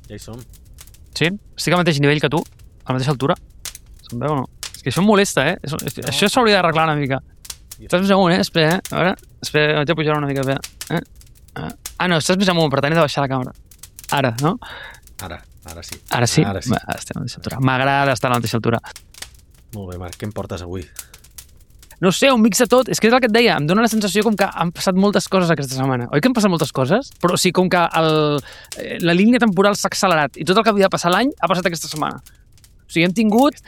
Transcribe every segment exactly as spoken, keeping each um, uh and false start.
Ja hi som. Sí? Estic al mateix nivell que tu? A la mateixa altura? Se'm veu o no? És que això em molesta, eh? Això, no. Això s'hauria d'arreglar una mica. Estàs més amunt, eh? Espera, eh? A veure, espera, vaig a pujar una mica, espera. Eh? Ah, no, estàs més amunt, per tant he de baixar la càmera. Ara, no? Ara, ara sí. Ara sí? Ara sí. Va, estem a la mateixa altura. M'agrada estar a la mateixa altura. Molt bé, Marc, què em portes avui? No sé, un mix de tot. És que és el que et deia, em dóna la sensació com que han passat moltes coses aquesta setmana. Oi que han passat moltes coses? Però sí, com que el, la línia temporal s'ha accelerat i tot el que havia de passar l'any ha passat aquesta setmana. O sigui, hem tingut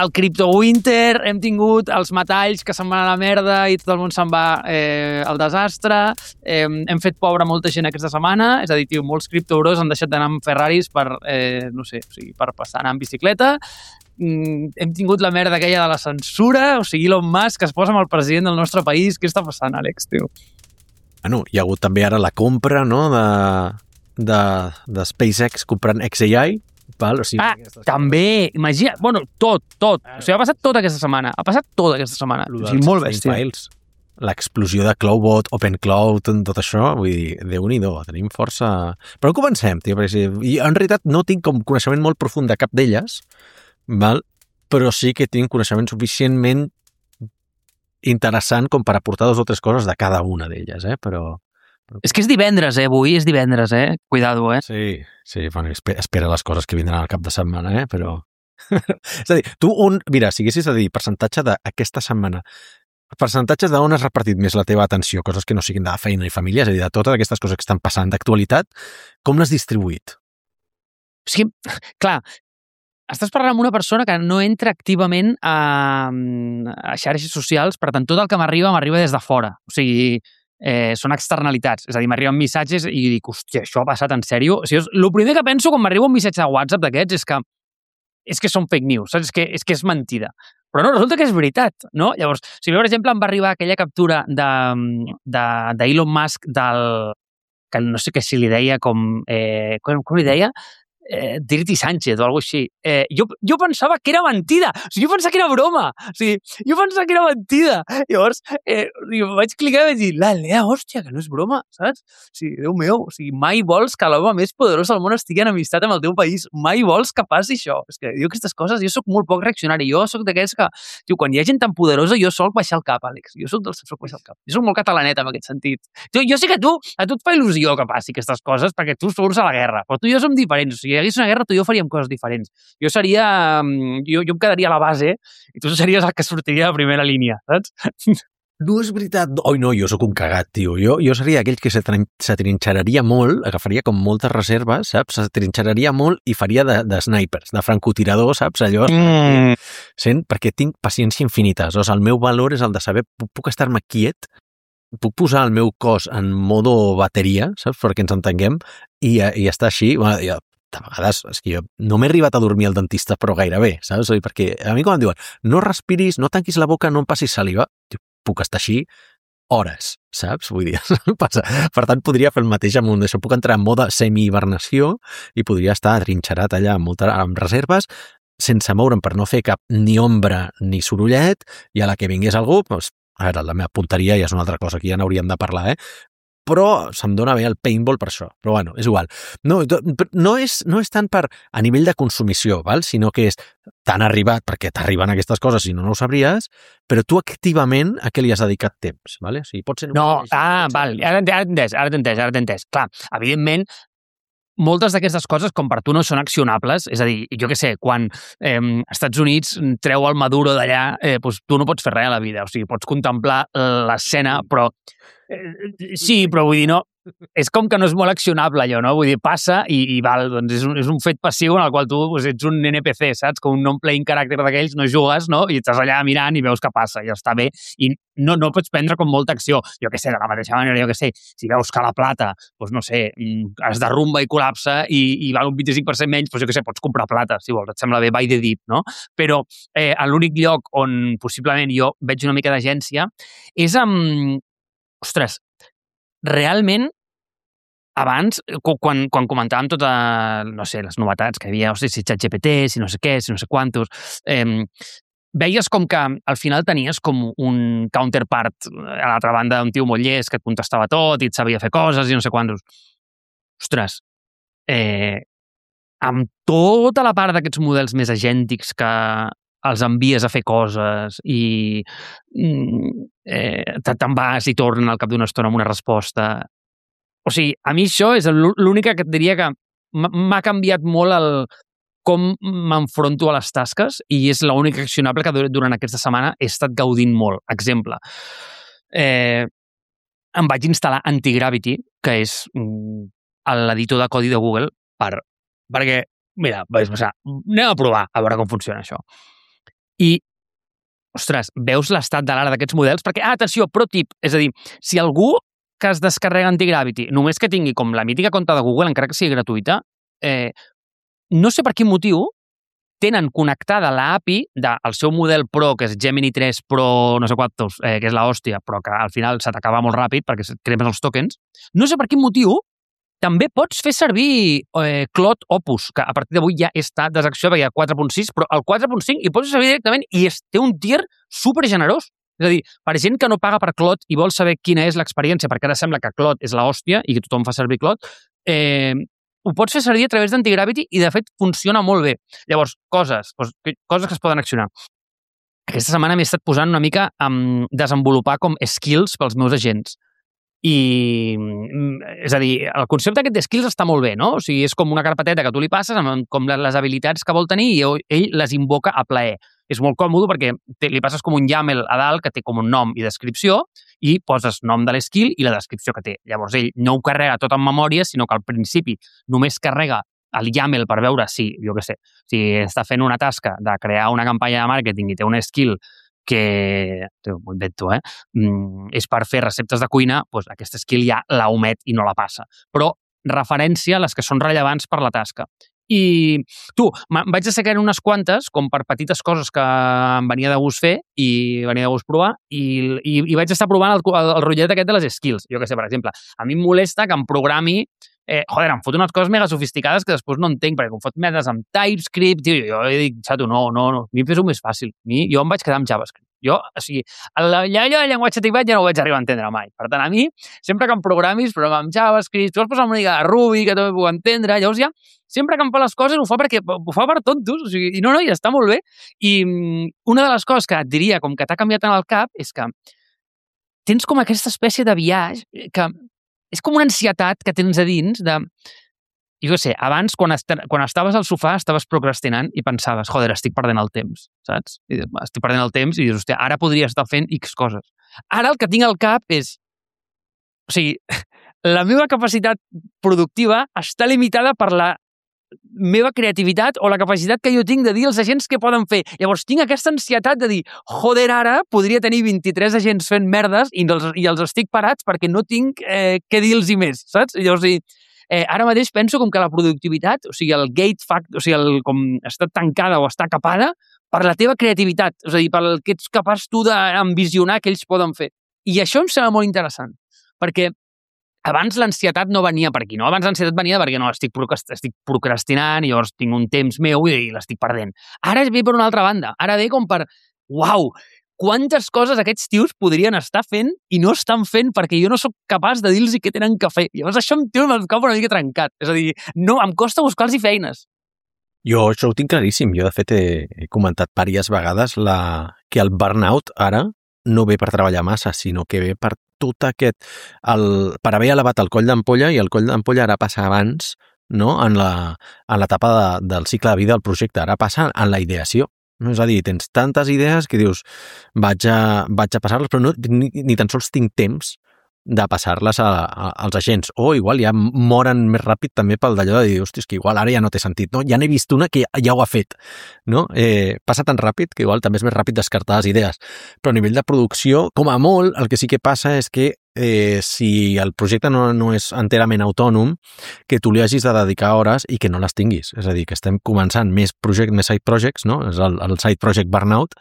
el Crypto Winter, hem tingut els metalls que se'n van a la merda i tot el món se'n va eh, al desastre, eh, hem fet pobra molta gent aquesta setmana, és a dir, tio, molts criptobros han deixat d'anar amb Ferraris per, eh, no sé, o sigui, per passar a anar amb bicicleta. Mm, hem tingut la merda aquella de la censura, o sigui, Elon Musk que es posa amb el president del nostre país. Què està passant, Àlex, tio? Bueno, hi ha hagut també ara la compra, no?, de, de, de SpaceX comprant X A I. Val? O sigui, ah, també, imagina, bueno, tot, tot. O sigui, ha passat tota aquesta setmana. Ha passat tota aquesta setmana. O sigui, molt bèstia. L'explosió de Cloudbot, OpenCloud, tot això, vull dir, Déu-n'hi-do, tenim força... Però comencem, tio, perquè i en realitat no tinc com coneixement molt profund de cap d'elles, val? Però sí que tinc coneixement suficientment interessant com per aportar dues o tres coses de cada una d'elles, eh? Però... És que és divendres, eh? Avui és divendres, eh? Cuidado, eh? Sí, sí, bueno, espera les coses que vindran al cap de setmana, eh? Però... és a dir, tu un... Mira, si haguessis de dir percentatge d'aquesta setmana, percentatges d'on has repartit més la teva atenció, coses que no siguin de feina i família, és a dir, de totes aquestes coses que estan passant d'actualitat, com l'has distribuït? O sigui, clar, estàs parlant amb una persona que no entra activament a, a xarxes socials, per tant, tot el que m'arriba, m'arriba des de fora. O sigui... Eh, són externalitats, és a dir, m'arriben missatges i dic, hòstia, això ha passat en sèrio? O sigui, el primer que penso quan m'arriba un missatge de WhatsApp d'aquests és que és que són fake news, saps? És que, és que és mentida. Però no, resulta que és veritat, no? Llavors, si per exemple em va arribar aquella captura de, de, de Elon Musk del... que no sé què si li deia com... Eh, com, com li deia? Eh, Dirty Sánchez o alguna cosa així. Eh, jo, jo pensava que era mentida. O sigui, jo pensava que era broma. O sigui, jo pensava que era mentida. Llavors, eh, vaig clicar i vaig dir, la Lea, hòstia, que no és broma, saps? O sigui, Déu meu, o sigui, mai vols que l'home més poderós del món estigui en amistat amb el teu país. Mai vols que passi això. És que diu aquestes coses, jo sóc molt poc reaccionari. Jo sóc d'aquells que, tio, quan hi ha gent tan poderosa, jo soc baixar el cap, Àlex. Jo sóc dels que soc baixar el cap. Jo sóc molt catalanet en aquest sentit. Jo, jo sé que tu, a tu et fa il·lusió que passi aquestes coses perquè tu surts a la guerra, però tu i jo som diferents. O sigui, hi hagués una guerra, tu i jo faríem coses diferents. Jo seria... Jo, jo em quedaria a la base i tu series el que sortiria de primera línia, saps? No és veritat. Oi, no, jo sóc un cagat, tio. Jo, jo seria aquell que se trinxeraria molt, agafaria com moltes reserves, saps? Se trinxeraria molt i faria de, de snipers, de francotirador, saps? Allò... Mm. Sent, perquè tinc paciència infinita. O sigui, el meu valor és el de saber, puc, puc estar-me quiet, puc posar el meu cos en modo bateria, saps? Perquè ens entenguem, i, i estar així... Bueno, jo, de vegades, és que jo no m'he arribat a dormir al dentista, però gairebé, saps? Perquè a mi quan em diuen, no respiris, no tanquis la boca, no em passis saliva, puc estar així hores, saps? Vull dir, passa. Per tant, podria fer el mateix amb un d'això. Puc entrar en mode semi-hibernació i podria estar atrinxerat allà amb, molta, amb reserves, sense moure'm per no fer cap ni ombra ni sorollet, i a la que vingués algú, doncs, a veure, la meva punteria ja és una altra cosa, que ja n'hauríem de parlar, eh? Però se'm dona bé el paintball per això. Però bueno, és igual. No, no, és, no és tant per a nivell de consumició, val? Sinó que és tan arribat, perquè t'arriben aquestes coses, si no, no ho sabries, però tu activament a què li has dedicat temps, vale? O sigui, pot ser... No, ah, val, ara t'he entès, ara t'he entès, ara t'he entès. Clar, evidentment, moltes d'aquestes coses, com per tu no són accionables, és a dir, jo què sé, quan eh, Estats Units treu el Maduro d'allà, eh, doncs tu no pots fer res a la vida, o sigui, pots contemplar l'escena, però eh, sí, però vull dir, no, és com que no és molt accionable allò, no? Vull dir, passa i, i val, doncs és un, és un fet passiu en el qual tu doncs, ets un N P C, saps? Com un non-playing character d'aquells, no jugues, no? I estàs allà mirant i veus què passa, i està bé, i no, no pots prendre com molta acció. Jo què sé, de la mateixa manera, jo què sé, si veus que la plata, doncs no sé, es derrumba i col·lapsa i, i val un vint-i-cinc per cent menys, doncs jo què sé, pots comprar plata, si vols, et sembla bé, buy the dip, no? Però eh, l'únic lloc on possiblement jo veig una mica d'agència és amb... Ostres, realment, abans, quan, quan comentàvem tota, no sé, les novetats que hi havia, o sigui, si ChatGPT, si no sé què, si no sé quantos, eh, veies com que al final tenies com un counterpart a l'altra banda, un tio molt llest que et contestava tot i et sabia fer coses i no sé quantos. Ostres, eh, amb tota la part d'aquests models més agèntics que els envies a fer coses i eh, te'n vas i tornen al cap d'una estona amb una resposta. O sigui, a mi això és l'única que et diria que m'ha canviat molt el com m'enfronto a les tasques i és l'única accionable que durant aquesta setmana he estat gaudint molt. Exemple, eh, em vaig instal·lar Antigravity, que és l'editor de codi de Google, per, perquè, mira, vaig passar, anem a provar a veure com funciona això. I, ostres, veus l'estat de l'ara d'aquests models? Perquè, ah, atenció, pro tip, és a dir, si algú que es descarrega Antigravity, només que tingui com la mítica compte de Google, encara que sigui gratuïta, eh, no sé per quin motiu tenen connectada l'A P I del seu model Pro, que és Gemini tres Pro, no sé quantos, eh, que és la hòstia, però que al final se t'acaba molt ràpid perquè cremes els tokens. No sé per quin motiu també pots fer servir eh, Claude Opus, que a partir d'avui ja està desaccionat perquè hi ha quatre punt sis, però el quatre punt cinc hi pots fer servir directament i es, té un tier super generós. És a dir, per gent que no paga per Claude i vol saber quina és l'experiència, perquè ara sembla que Claude és la hòstia i que tothom fa servir Claude, eh, ho pots fer servir a través d'Antigravity i, de fet, funciona molt bé. Llavors, coses, coses que es poden accionar. Aquesta setmana m'he estat posant una mica a desenvolupar com skills pels meus agents. I, és a dir, el concepte aquest de skills està molt bé, no? O sigui, és com una carpeteta que tu li passes amb com les habilitats que vol tenir i ell les invoca a plaer. És molt còmode perquè li passes com un YAML a dalt que té com un nom i descripció i poses nom de l'esquill i la descripció que té. Llavors ell no ho carrega tot en memòria, sinó que al principi només carrega el YAML per veure si, jo què sé, si està fent una tasca de crear una campanya de màrqueting i té un skill que, ho invento, eh? Mm, és per fer receptes de cuina, doncs aquesta skill ja la omet i no la passa. Però referència a les que són rellevants per la tasca. I tu, em vaig assecar unes quantes, com per petites coses que em venia de gust fer i venia de gust provar, i, i, i vaig estar provant el, el, el rotllet aquest de les skills. Jo què sé, per exemple, a mi em molesta que em programi Eh, joder, em fot unes coses mega sofisticades que després no entenc, perquè em fot medes amb TypeScript, tio, jo dic, xato, no, no, no, a mi em fes-ho més fàcil. A mi, jo em vaig quedar amb JavaScript. Jo, o sigui, el, el, el llenguatge tipat ja no ho vaig arribar a entendre mai. Per tant, a mi, sempre que em programis, programa amb JavaScript, tu vas posar una mica de Ruby, que també puc entendre, llavors ja, sempre que em fa les coses ho fa perquè ho fa per tontos, o sigui, i no, no, ja està molt bé. I una de les coses que et diria, com que t'ha canviat en el cap, és que tens com aquesta espècie de viatge que és com una ansietat que tens a dins de... Jo què sé, abans, quan, est quan estaves al sofà, estaves procrastinant i pensaves, joder, estic perdent el temps, saps? I dius, estic perdent el temps i dius, hòstia, ara podria estar fent X coses. Ara el que tinc al cap és... O sigui, la meva capacitat productiva està limitada per la meva creativitat o la capacitat que jo tinc de dir als agents què poden fer. Llavors, tinc aquesta ansietat de dir, joder, ara podria tenir vint-i-tres agents fent merdes i els, i els estic parats perquè no tinc eh, què dir-los més, saps? Llavors, eh, ara mateix penso com que la productivitat, o sigui, el gate fact, o sigui, el, com està tancada o està capada per la teva creativitat, és a dir, pel que ets capaç tu d'ambicionar que ells poden fer. I això em sembla molt interessant, perquè abans l'ansietat no venia per aquí, no? Abans l'ansietat venia perquè no, estic, estic procrastinant i llavors tinc un temps meu i l'estic perdent. Ara ve per una altra banda. Ara ve com per, uau, quantes coses aquests tios podrien estar fent i no estan fent perquè jo no sóc capaç de dir-los què tenen que fer. Llavors això em té el cap una mica trencat. És a dir, no, em costa buscar-los feines. Jo això ho tinc claríssim. Jo, de fet, he, he comentat diverses vegades la, que el burnout ara no ve per treballar massa, sinó que ve per tot aquest... El, per haver elevat el coll d'ampolla, i el coll d'ampolla ara passa abans, no?, en l'etapa de, del cicle de vida del projecte. Ara passa en la ideació. No? És a dir, tens tantes idees que dius, vaig a, vaig a passar-les, però no, ni, ni tan sols tinc temps de passar-les a, a, als agents. O igual ja moren més ràpid també pel d'allò de dir, hòstia, és que igual ara ja no té sentit, no? Ja n'he vist una que ja ho ha fet, no? Eh, passa tan ràpid que igual també és més ràpid descartar les idees. Però a nivell de producció, com a molt, el que sí que passa és que eh, si el projecte no, no és enterament autònom, que tu li hagis de dedicar hores i que no les tinguis. És a dir, que estem començant més project, més side projects, no? És el, el side project burnout,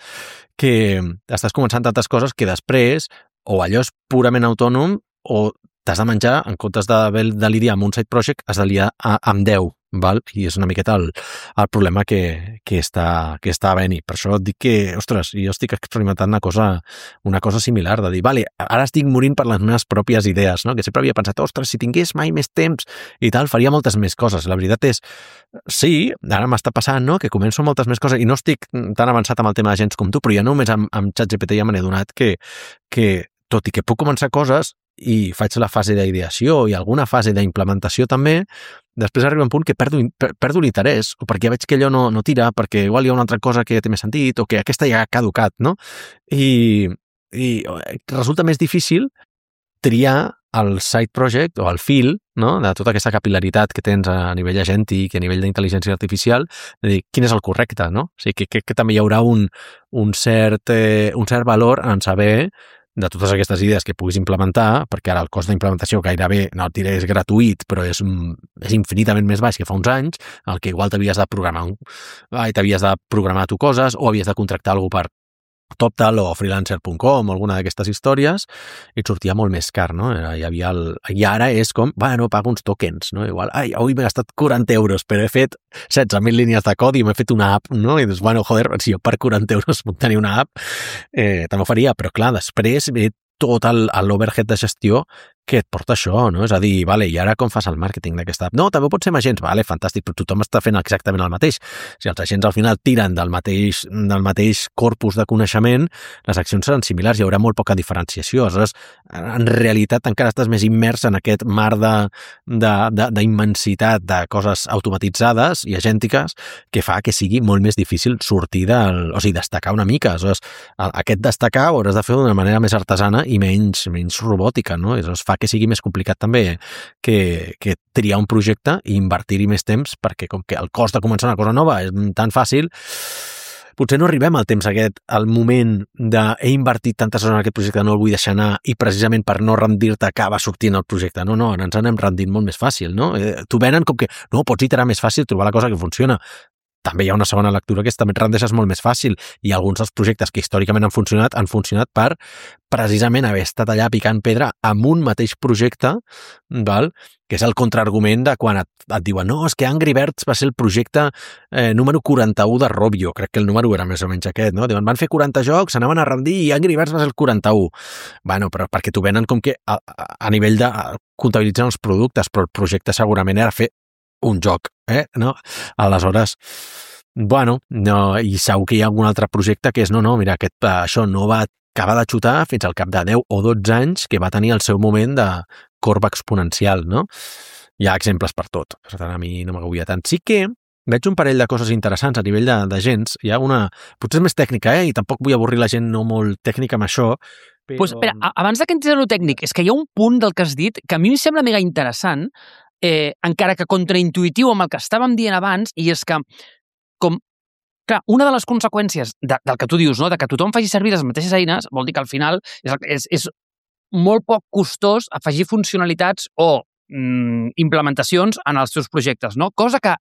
que estàs començant tantes coses que després o allò és purament autònom o t'has de menjar, en comptes de, de lidiar amb un side project, has de lidiar amb deu val? I és una miqueta el, el problema que, que, està, que està havent-hi. Per això et dic que, ostres, jo estic experimentant una cosa, una cosa similar, de dir, vale, ara estic morint per les meves pròpies idees, no? Que sempre havia pensat, ostres, si tingués mai més temps i tal, faria moltes més coses. La veritat és, sí, ara m'està passant, no?, que començo moltes més coses i no estic tan avançat amb el tema de gens com tu, però ja només amb, amb ChatGPT ja me n'he donat que, que, tot i que puc començar coses, i faig la fase d'ideació i alguna fase d'implementació també, després arriba un punt que perdo, perdo l'interès, o perquè veig que allò no, no tira, perquè igual hi ha una altra cosa que té més sentit, o que aquesta ja ha caducat, no? I, i resulta més difícil triar el side project o el fil, no?, de tota aquesta capil·laritat que tens a nivell agèntic i a nivell d'intel·ligència artificial, de dir quin és el correcte, no? O sigui, que, que, que també hi haurà un, un, cert, eh, un cert valor en saber de totes aquestes idees que puguis implementar, perquè ara el cost d'implementació gairebé, no et diré és gratuït, però és, és infinitament més baix que fa uns anys, el que igual t'havies de programar t'havies de programar tu coses, o havies de contractar algú per TopTal o freelancer punt com o alguna d'aquestes històries, i et sortia molt més car, no? Hi havia el... I ara és com, bueno, pago uns tokens, no? Igual, ai, avui m'he gastat quaranta euros, però he fet setze mil línies de codi i m'he fet una app, no? I dius, bueno, joder, si jo per quaranta euros puc tenir una app, eh, també ho faria, però clar, després ve tot l'overhead de gestió que et porta això, no? És a dir, vale, i ara com fas el màrqueting d'aquesta app? No, també pot ser amb agents, vale, fantàstic, però tothom està fent exactament el mateix. Si els agents al final tiren del mateix, del mateix corpus de coneixement, les accions seran similars, hi haurà molt poca diferenciació. Aleshores, en realitat encara estàs més immers en aquest mar d'immensitat de, de, de, de coses automatitzades i agèntiques que fa que sigui molt més difícil sortir del... o sigui, destacar una mica. Aleshores, aquest destacar ho hauràs de fer d'una manera més artesana i menys, menys robòtica, no? Aleshores, fa que sigui més complicat també que, que triar un projecte i invertir-hi més temps, perquè com que el cost de començar una cosa nova és tan fàcil, potser no arribem al temps aquest, al moment de he invertit tantes hores en aquest projecte, no el vull deixar anar, i precisament per no rendir-te acaba sortint el projecte. No, no, ens anem rendint molt més fàcil, no? Eh, T'ho venen com que, no, pots iterar més fàcil, trobar la cosa que funciona. També hi ha una segona lectura que és també et rendeixes molt més fàcil, i alguns dels projectes que històricament han funcionat han funcionat per precisament haver estat allà picant pedra amb un mateix projecte, val? Que és el contraargument de quan et, et diuen no, és que Angry Birds va ser el projecte eh, número quaranta-u de Rovio, crec que el número era més o menys aquest, no? Diuen, van fer quaranta jocs, s'anaven a rendir i Angry Birds va ser el quaranta-u. Bueno, però perquè t'ho venen com que a, a, a nivell de comptabilitzar els productes, però el projecte segurament era fer un joc, eh? No? Aleshores, bueno, no, i segur que hi ha algun altre projecte que és, no, no, mira, aquest, això no va acabar de xutar fins al cap de deu o dotze anys que va tenir el seu moment de corba exponencial, no? Hi ha exemples per tot, per tant, a mi no m'agobia tant. Sí que veig un parell de coses interessants a nivell de, de gens. Hi ha una, potser és més tècnica, eh? I tampoc vull avorrir la gent no molt tècnica amb això, però... Pues, espera, abans que entres a lo tècnic, és que hi ha un punt del que has dit que a mi em sembla mega interessant, eh, encara que contraintuitiu amb el que estàvem dient abans, i és que, com, clar, una de les conseqüències de, del que tu dius, no?, de que tothom faci servir les mateixes eines, vol dir que al final és, és, és molt poc costós afegir funcionalitats o mm, implementacions en els teus projectes, no? Cosa que,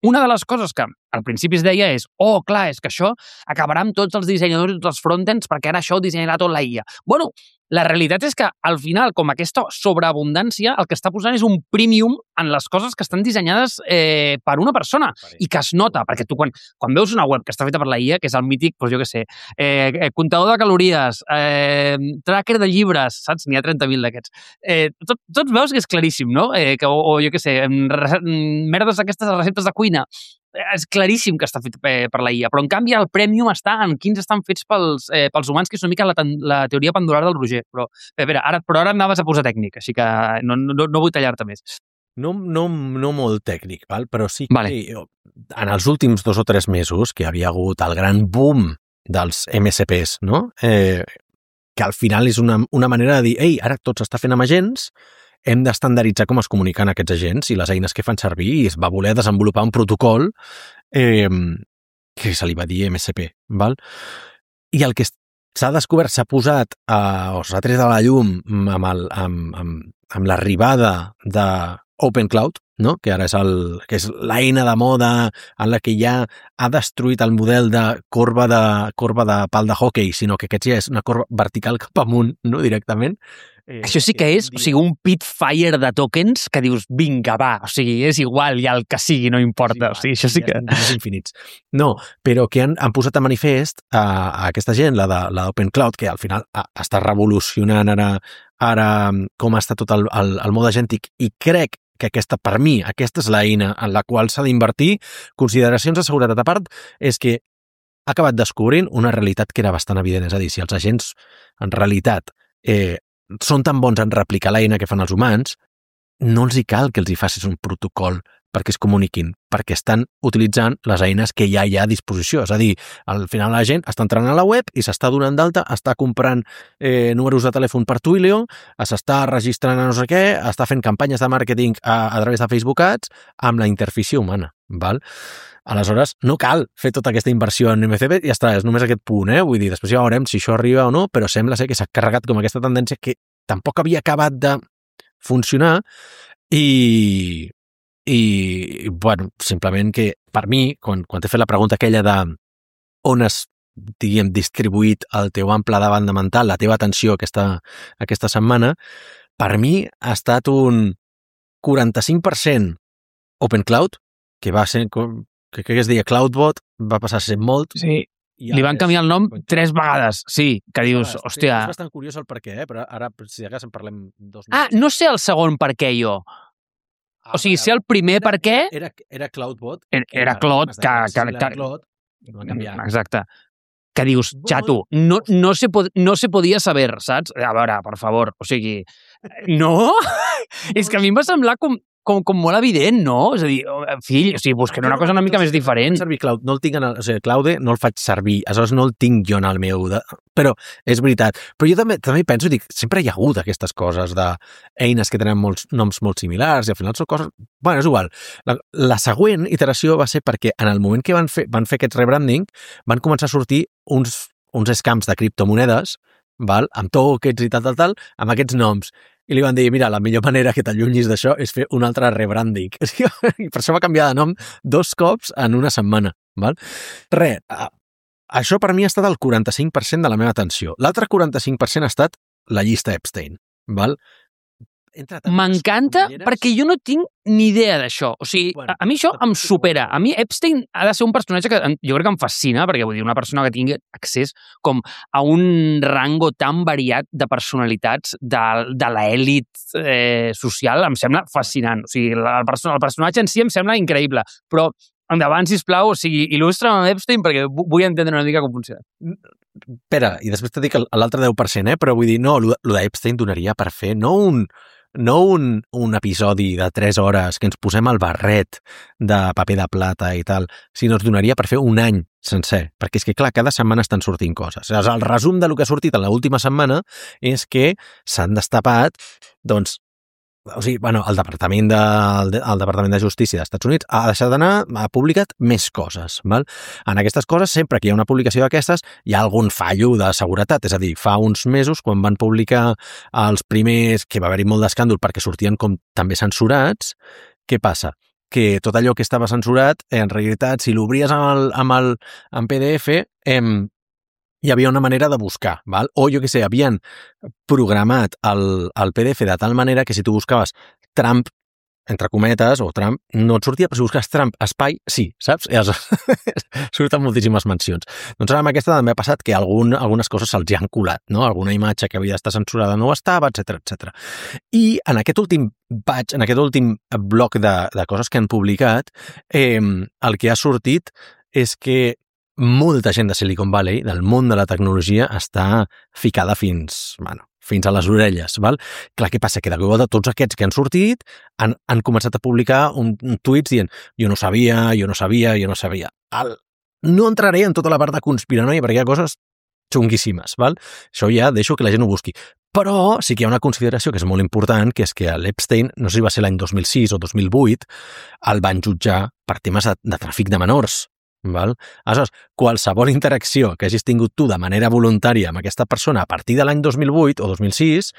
una de les coses que al principi es deia és, oh, clar, és que això acabarà amb tots els dissenyadors i tots els frontends perquè ara això ho dissenyarà tot la I A. Bueno, la realitat és que, al final, com aquesta sobreabundància, el que està posant és un premium en les coses que estan dissenyades eh, per una persona i que es nota, perquè tu quan, quan veus una web que està feta per la I A, que és el mític, doncs jo què sé, eh, comptador de calories, eh, tracker de llibres, saps? N'hi ha trenta mil d'aquests. Eh, tot, tots veus que és claríssim, no? Eh, que, o, o jo què sé, merdes aquestes receptes de cuina, és claríssim que està fet per la I A, però en canvi el premium està en quins estan fets pels, eh, pels humans, que és una mica la, la teoria pendular del Roger. Però, espera, ara, però ara anaves a posar tècnic, així que no, no, no vull tallar-te més. No, no, no molt tècnic, val? Però sí que vale. En els últims dos o tres mesos que havia hagut el gran boom dels M S Ps, no? Eh, que al final és una, una manera de dir, ei, ara tot s'està fent amb agents, hem d'estandarditzar com es comuniquen aquests agents i les eines que fan servir, i es va voler desenvolupar un protocol eh, que se li va dir M S P, val? I el que s'ha descobert, s'ha posat a, o s'ha tret a la llum amb, el, amb, amb, amb l'arribada de OpenCloud, no? Que ara és, el, que és l'eina de moda en la que ja ha destruït el model de corba de, corba de pal de hockey, sinó que aquest ja és una corba vertical cap amunt, no? Directament. Eh, Això sí que és, dia... o sigui, un pitfire de tokens que dius, vinga, va, o sigui, és igual, ja el que sigui, no importa. Sí, o sigui, això sí que... Ja infinits. No, però que han, han posat a manifest a, a aquesta gent, la de l'Open Cloud, que al final a, està revolucionant ara, ara com està tot el, el, el mode agèntic, i crec que aquesta, per mi, aquesta és l'eina en la qual s'ha d'invertir. Consideracions de seguretat a part, és que ha acabat descobrint una realitat que era bastant evident. És a dir, si els agents, en realitat, eh, són tan bons en replicar l'eina que fan els humans, no els hi cal que els hi facis un protocol perquè es comuniquin, perquè estan utilitzant les eines que ja hi ha a disposició. És a dir, al final la gent està entrant a la web i s'està donant d'alta, està comprant eh, números de telèfon per Twilio, s'està registrant a no sé què, està fent campanyes de màrqueting a, a través de Facebook Ads amb la interfície humana. Val? Aleshores, no cal fer tota aquesta inversió en M C P, i ja està, és només aquest punt, eh? Vull dir, després ja veurem si això arriba o no, però sembla ser que s'ha carregat com aquesta tendència que tampoc havia acabat de funcionar i, i bueno, simplement que per mi, quan, quan t'he fet la pregunta aquella de on has, diguem, distribuït el teu ample de banda mental, la teva atenció aquesta, aquesta setmana, per mi ha estat un quaranta-cinc per cent Open Cloud, que va ser, que crec que es deia CloudBot, va passar a ser molt. Sí, li van canviar el nom tres vegades, sí, que dius, ah, hòstia... És bastant curiós el per què, eh? Però ara, si de cas, en parlem dos minuts. Ah, no sé el segon per què jo. Ah, o sigui, sé el primer per què... Era, era CloudBot. Era, era Cloud, que... que, que, Cloud, que exacte. Que dius, xato, no, no, se pod, no se podia saber, saps? A veure, per favor, o sigui... No? És que a mi em va semblar com... Com, com molt evident, no? És a dir, fill, o sigui, busquen una cosa una mica més diferent. Servir Cloud, no el tinc en el, o sigui, Cloude no el faig servir, aleshores no el tinc jo en el meu... De, però és veritat. Però jo també, també penso, dic, sempre hi ha hagut aquestes coses d'eines que tenen molts noms molt similars i al final són coses... Bueno, és igual. La, la següent iteració va ser perquè en el moment que van fer, van fer aquest rebranding van començar a sortir uns, uns scams de criptomonedes, val? Amb tokens i tal, tal, tal, amb aquests noms. I li van dir, mira, la millor manera que t'allunyis d'això és fer un altre rebranding. I per això va canviar de nom dos cops en una setmana. Val? Re, això per mi ha estat el quaranta-cinc per cent de la meva atenció. L'altre quaranta-cinc per cent ha estat la llista Epstein. Val? M'encanta perquè jo no tinc ni idea d'això. O sigui, bueno, a, a mi això em supera. A mi Epstein ha de ser un personatge que jo crec que em fascina, perquè vull dir, una persona que tingui accés com a un rango tan variat de personalitats de, de l'elit eh, social em sembla fascinant. O sigui, la, el, person el personatge en si em sembla increïble, però endavant, sisplau, o sigui, il·lustra'm amb Epstein perquè vull entendre una mica com funciona. Espera, i després t'he dit l'altre deu per cent, eh? Però vull dir, no, el d'Epstein donaria per fer no un... no un, un episodi de tres hores que ens posem al barret de paper de plata i tal, sinó ens donaria per fer un any sencer, perquè és que, clar, cada setmana estan sortint coses. El resum de lo que ha sortit en l'última setmana és que s'han destapat, doncs, o sigui, bueno, el Departament de, el Departament de Justícia dels Estats Units ha deixat d'anar, ha publicat més coses. Val? En aquestes coses, sempre que hi ha una publicació d'aquestes, hi ha algun fallo de seguretat. És a dir, fa uns mesos, quan van publicar els primers, que va haver-hi molt d'escàndol perquè sortien com també censurats, què passa? Que tot allò que estava censurat, en realitat, si l'obries amb el, amb el amb P D F, em, hi havia una manera de buscar, val? O jo què sé, havien programat el, el P D F de tal manera que si tu buscaves Trump, entre cometes, o Trump, no et sortia, però si busques Trump, espai, sí, saps? I surten moltíssimes mencions. Doncs ara amb aquesta també ha passat que algun, algunes coses se'ls han colat, no? Alguna imatge que havia d'estar censurada no ho estava, etcètera, etcètera. I en aquest últim batch, en aquest últim bloc de, de coses que han publicat, eh, el que ha sortit és que molta gent de Silicon Valley, del món de la tecnologia, està ficada fins, bueno, fins a les orelles, val? Clar, què passa? Que de cop de tots aquests que han sortit han, han començat a publicar un, un tuits dient jo no sabia, jo no sabia, jo no sabia. El, no entraré en tota la part de conspiranoia perquè hi ha coses xunguíssimes, val? Això ja deixo que la gent ho busqui. Però sí que hi ha una consideració que és molt important, que és que l'Epstein, no sé si va ser l'any dos mil sis o dos mil vuit, el van jutjar per temes de, de tràfic de menors. Val? Aleshores, qualsevol interacció que hagis tingut tu de manera voluntària amb aquesta persona a partir de l'any dos mil vuit o dos mil sis,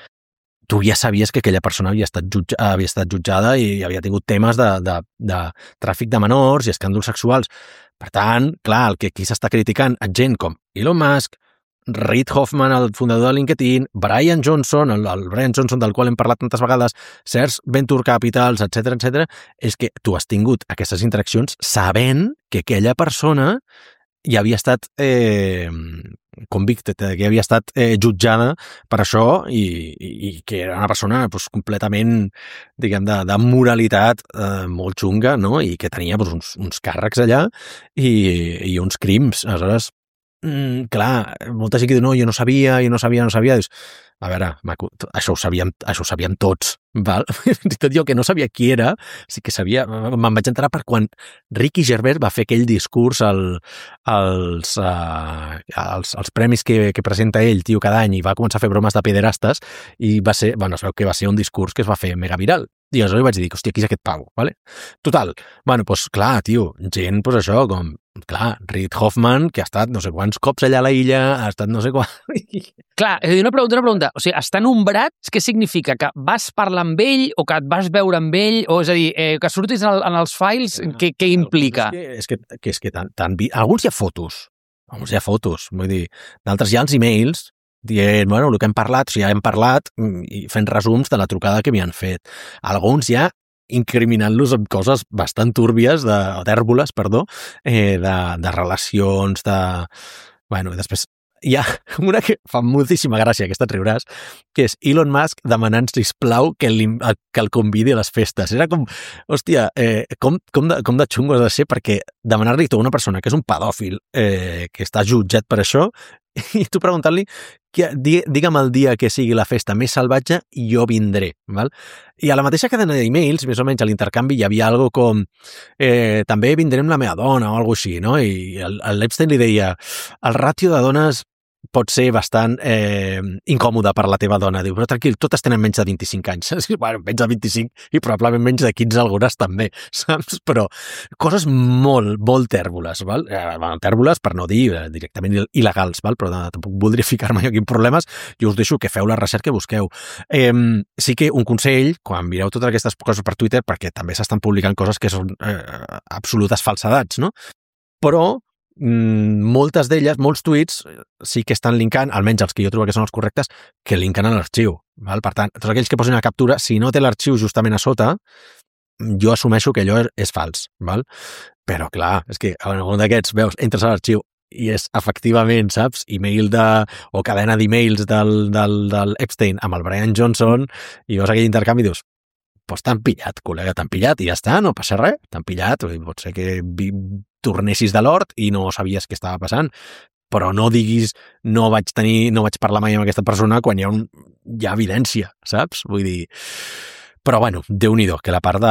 tu ja sabies que aquella persona havia estat, jutja, havia estat jutjada i havia tingut temes de, de, de tràfic de menors i escàndols sexuals. Per tant, clar, el que aquí s'està criticant a gent com Elon Musk, Reid Hoffman, el fundador de LinkedIn, Brian Johnson, el, el Brian Johnson del qual hem parlat tantes vegades, Certs Venture Capitals, etcètera, etcètera, és que tu has tingut aquestes interaccions sabent que aquella persona ja havia estat eh, convicted, que havia estat eh, jutjada per això i, i, i que era una persona pues, completament, diguem, de, de moralitat eh, molt xunga, no? I que tenia pues, uns, uns càrrecs allà i, i uns crims. Aleshores, Mm, clar, molta gent que diu, no, jo no sabia, jo no sabia, no sabia. Dius, a veure, maco, això ho sabíem, això ho sabíem tots, val? Fins i tot jo que no sabia qui era, sí que sabia, me'n vaig enterar per quan Ricky Gervais va fer aquell discurs al, als, uh, als, als premis que, que presenta ell, tio, cada any, i va començar a fer bromes de pederastes, i va ser, bueno, es veu que va ser un discurs que es va fer mega viral. I aleshores vaig dir, hòstia, qui és aquest pavo, vale? Total, bueno, doncs clar, tio, gent, doncs això, com, clar, Reid Hoffman, que ha estat no sé quants cops allà a la illa, ha estat no sé quant... Clar, una pregunta, una pregunta. O sigui, estar nombrat, què significa? Que vas parlar amb ell o que et vas veure amb ell? O és a dir, eh, que surtis en, el, en els files, què, què implica? És que, és que, que, és que tan, tan... Alguns hi ha fotos, alguns hi ha fotos, vull dir, d'altres hi ha els e-mails dient, bueno, el que hem parlat, o sigui, ja hem parlat i fent resums de la trucada que m'hi han fet. Alguns ja incriminant-los amb coses bastant túrbies, de, o tèrboles, perdó, eh, de, de relacions, de... Bueno, i després hi ha una que fa moltíssima gràcia, aquesta et riuràs, que és Elon Musk demanant, sisplau, que, li, que el convidi a les festes. Era com, hòstia, eh, com, com, de, com de xungo has de ser perquè demanar-li a una persona que és un pedòfil, eh, que està jutjat per això, i tu preguntant-li, digue'm el dia que sigui la festa més salvatge i jo vindré, val? I a la mateixa cadena d'emails, més o menys a l'intercanvi, hi havia algo com eh, també vindré amb la meva dona o alguna així, no? I l'Epstein li deia, el ràtio de dones pot ser bastant eh, incòmode per la teva dona. Diu, però tranquil, totes tenen menys de vint-i-cinc anys. Bueno, menys de vint-i-cinc i probablement menys de quinze algunes també, saps? Però coses molt, molt tèrboles, val? Eh, bueno, tèrboles per no dir eh, directament il·legals, val? Però no, tampoc voldria ficar-me aquí en problemes. Jo us deixo que feu la recerca i busqueu. Eh, sí que un consell, quan mireu totes aquestes coses per Twitter, perquè també s'estan publicant coses que són eh, absolutes falsedats, no? Però moltes d'elles, molts tuits, sí que estan linkant, almenys els que jo trobo que són els correctes, que linken a l'arxiu. Per tant, tots aquells que posin una captura, si no té l'arxiu justament a sota, jo assumeixo que allò és fals. Val? Però, clar, és que en algun d'aquests, veus, entres a l'arxiu i és efectivament, saps, email de, o cadena d'emails del, del, del Epstein amb el Brian Johnson, i veus aquell intercanvi i dius, doncs t'han pillat, col·lega, t'han pillat i ja està, no passa res, t'han pillat, pot ser que vi, tornessis de l'hort i no sabies què estava passant, però no diguis no vaig tenir, no vaig parlar mai amb aquesta persona quan hi ha, un, hi ha evidència, saps? Vull dir... Però, bueno, Déu-n'hi-do, que la part de...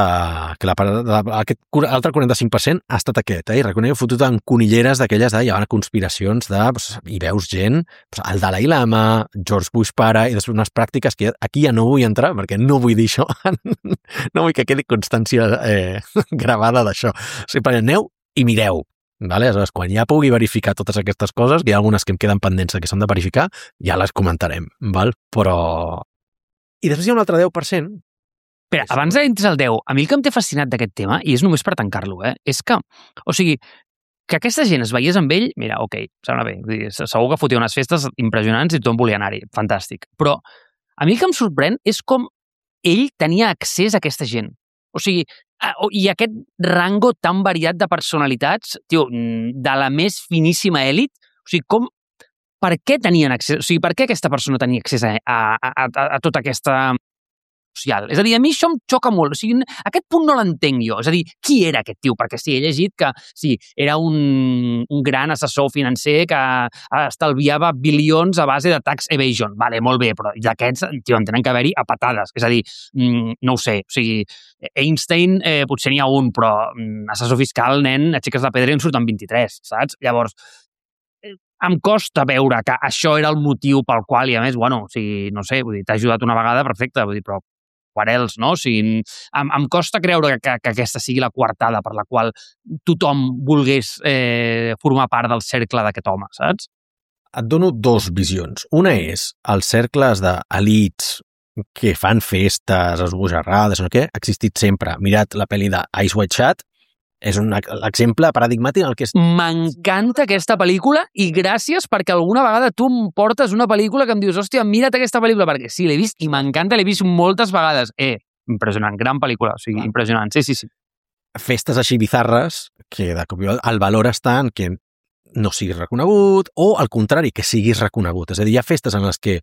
que la part de, aquest altre quaranta-cinc per cent ha estat aquest, eh? I reconec que fotut en conilleres d'aquelles de... Hi ha conspiracions de... Pues, hi veus gent, pues, el Dalai Lama, George Bush pare, i després unes pràctiques que aquí ja no vull entrar, perquè no vull dir això. No vull que quedi constància eh, gravada d'això. O sigui, aneu i mireu. Vale? Aleshores, quan ja pugui verificar totes aquestes coses, que hi ha algunes que em queden pendents que s'han de verificar, ja les comentarem. Val? Però... I després hi ha un altre deu per cent. Espera, abans d'entrar al deu, a mi el que em té fascinat d'aquest tema, i és només per tancar-lo, eh, és que, o sigui, que aquesta gent es veiés amb ell, mira, ok, sembla bé, vull dir, segur que fotia unes festes impressionants i tothom volia anar-hi, fantàstic. Però a mi el que em sorprèn és com ell tenia accés a aquesta gent. O sigui, i aquest rango tan variat de personalitats, tio, de la més finíssima èlit, o sigui, com, per què tenien accés, o sigui, per què aquesta persona tenia accés a, a, a, a tota aquesta... social. És a dir, a mi això em xoca molt. O sigui, aquest punt no l'entenc jo. És a dir, qui era aquest tio? Perquè sí, he llegit que sí, era un, un gran assessor financer que estalviava bilions a base de tax evasion. Vale, molt bé, però d'aquests, tio, en tenen que haver-hi a patades. És a dir, no ho sé. O sigui, Einstein eh, potser n'hi ha un, però assessor fiscal, nen, aixeques la pedra i en surten vint-i-tres, saps? Llavors, em costa veure que això era el motiu pel qual, i a més, bueno, o sigui, no sé, vull dir, t'ha ajudat una vegada, perfecte, vull dir, però what else, no? O sigui, em, em costa creure que, que aquesta sigui la coartada per la qual tothom volgués eh, formar part del cercle d'aquest home, saps? Et dono dos visions. Una és els cercles d'elits que fan festes, esbojarrades, no sé què, ha existit sempre. Mirat la pel·li de Ice White Chat, és un exemple paradigmàtic en el que és... M'encanta aquesta pel·lícula i gràcies perquè alguna vegada tu em portes una pel·lícula que em dius, hòstia, mira't aquesta pel·lícula, perquè sí, l'he vist i m'encanta, l'he vist moltes vegades. Eh, impressionant, gran pel·lícula, o sigui, impressionant, sí, sí, sí. Festes així bizarres, que de cop i volta el valor està en que no siguis reconegut, o al contrari, que siguis reconegut. És a dir, hi ha festes en les que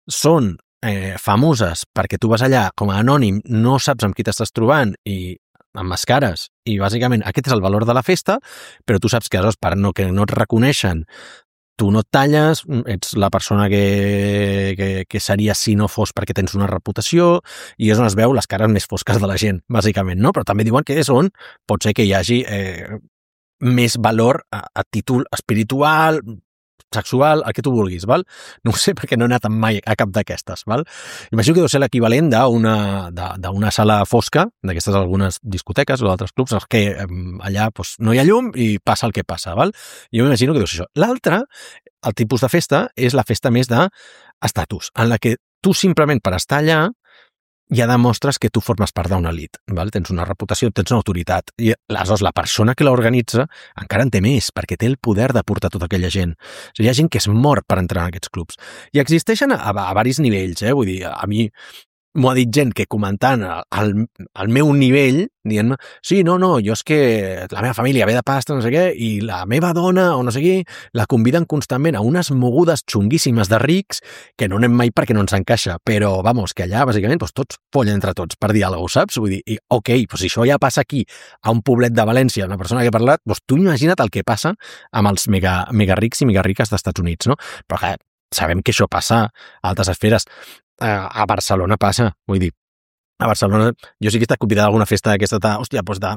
són eh, famoses perquè tu vas allà com a anònim, no saps amb qui t'estàs trobant i amb mascares, i bàsicament aquest és el valor de la festa, però tu saps que aleshores per no, que no et reconeixen, tu no et talles, ets la persona que, que, que seria si no fos perquè tens una reputació, i és on es veu les cares més fosques de la gent, bàsicament, no? Però també diuen que és on pot ser que hi hagi eh, més valor a, a títol espiritual, sexual, el que tu vulguis, val? No ho sé perquè no he anat mai a cap d'aquestes, val? Imagino que deu ser l'equivalent d'una d'una sala fosca, d'aquestes algunes discoteques o d'altres clubs, els que allà doncs, no hi ha llum i passa el que passa, val? Jo m'imagino que deu ser això. L'altre, el tipus de festa, és la festa més d'estatus, en la que tu simplement per estar allà ja demostres que tu formes part d'una elit, val? Tens una reputació, tens una autoritat, i aleshores la persona que l'organitza encara en té més, perquè té el poder de portar tota aquella gent. O sigui, hi ha gent que es mor per entrar en aquests clubs. I existeixen a, a, a varis nivells, eh? Vull dir, a mi m'ho ha dit gent que comentant el, el meu nivell, dient-me, sí, no, no, jo és que la meva família ve de pasta, no sé què, i la meva dona, o no sé què, la conviden constantment a unes mogudes xunguíssimes de rics que no anem mai perquè no ens encaixa, però, vamos, que allà, bàsicament, doncs, tots follen entre tots per dir alguna cosa, saps? Vull dir, i, ok, doncs si això ja passa aquí, a un poblet de València, una persona que ha parlat, doncs tu imagina't el que passa amb els mega, mega rics i mega riques d'Estats Units, no? Però, clar, sabem que això passa a altres esferes. A Barcelona passa, vull dir, a Barcelona, jo sí que he estat convidat a alguna festa d'aquesta, hòstia, doncs de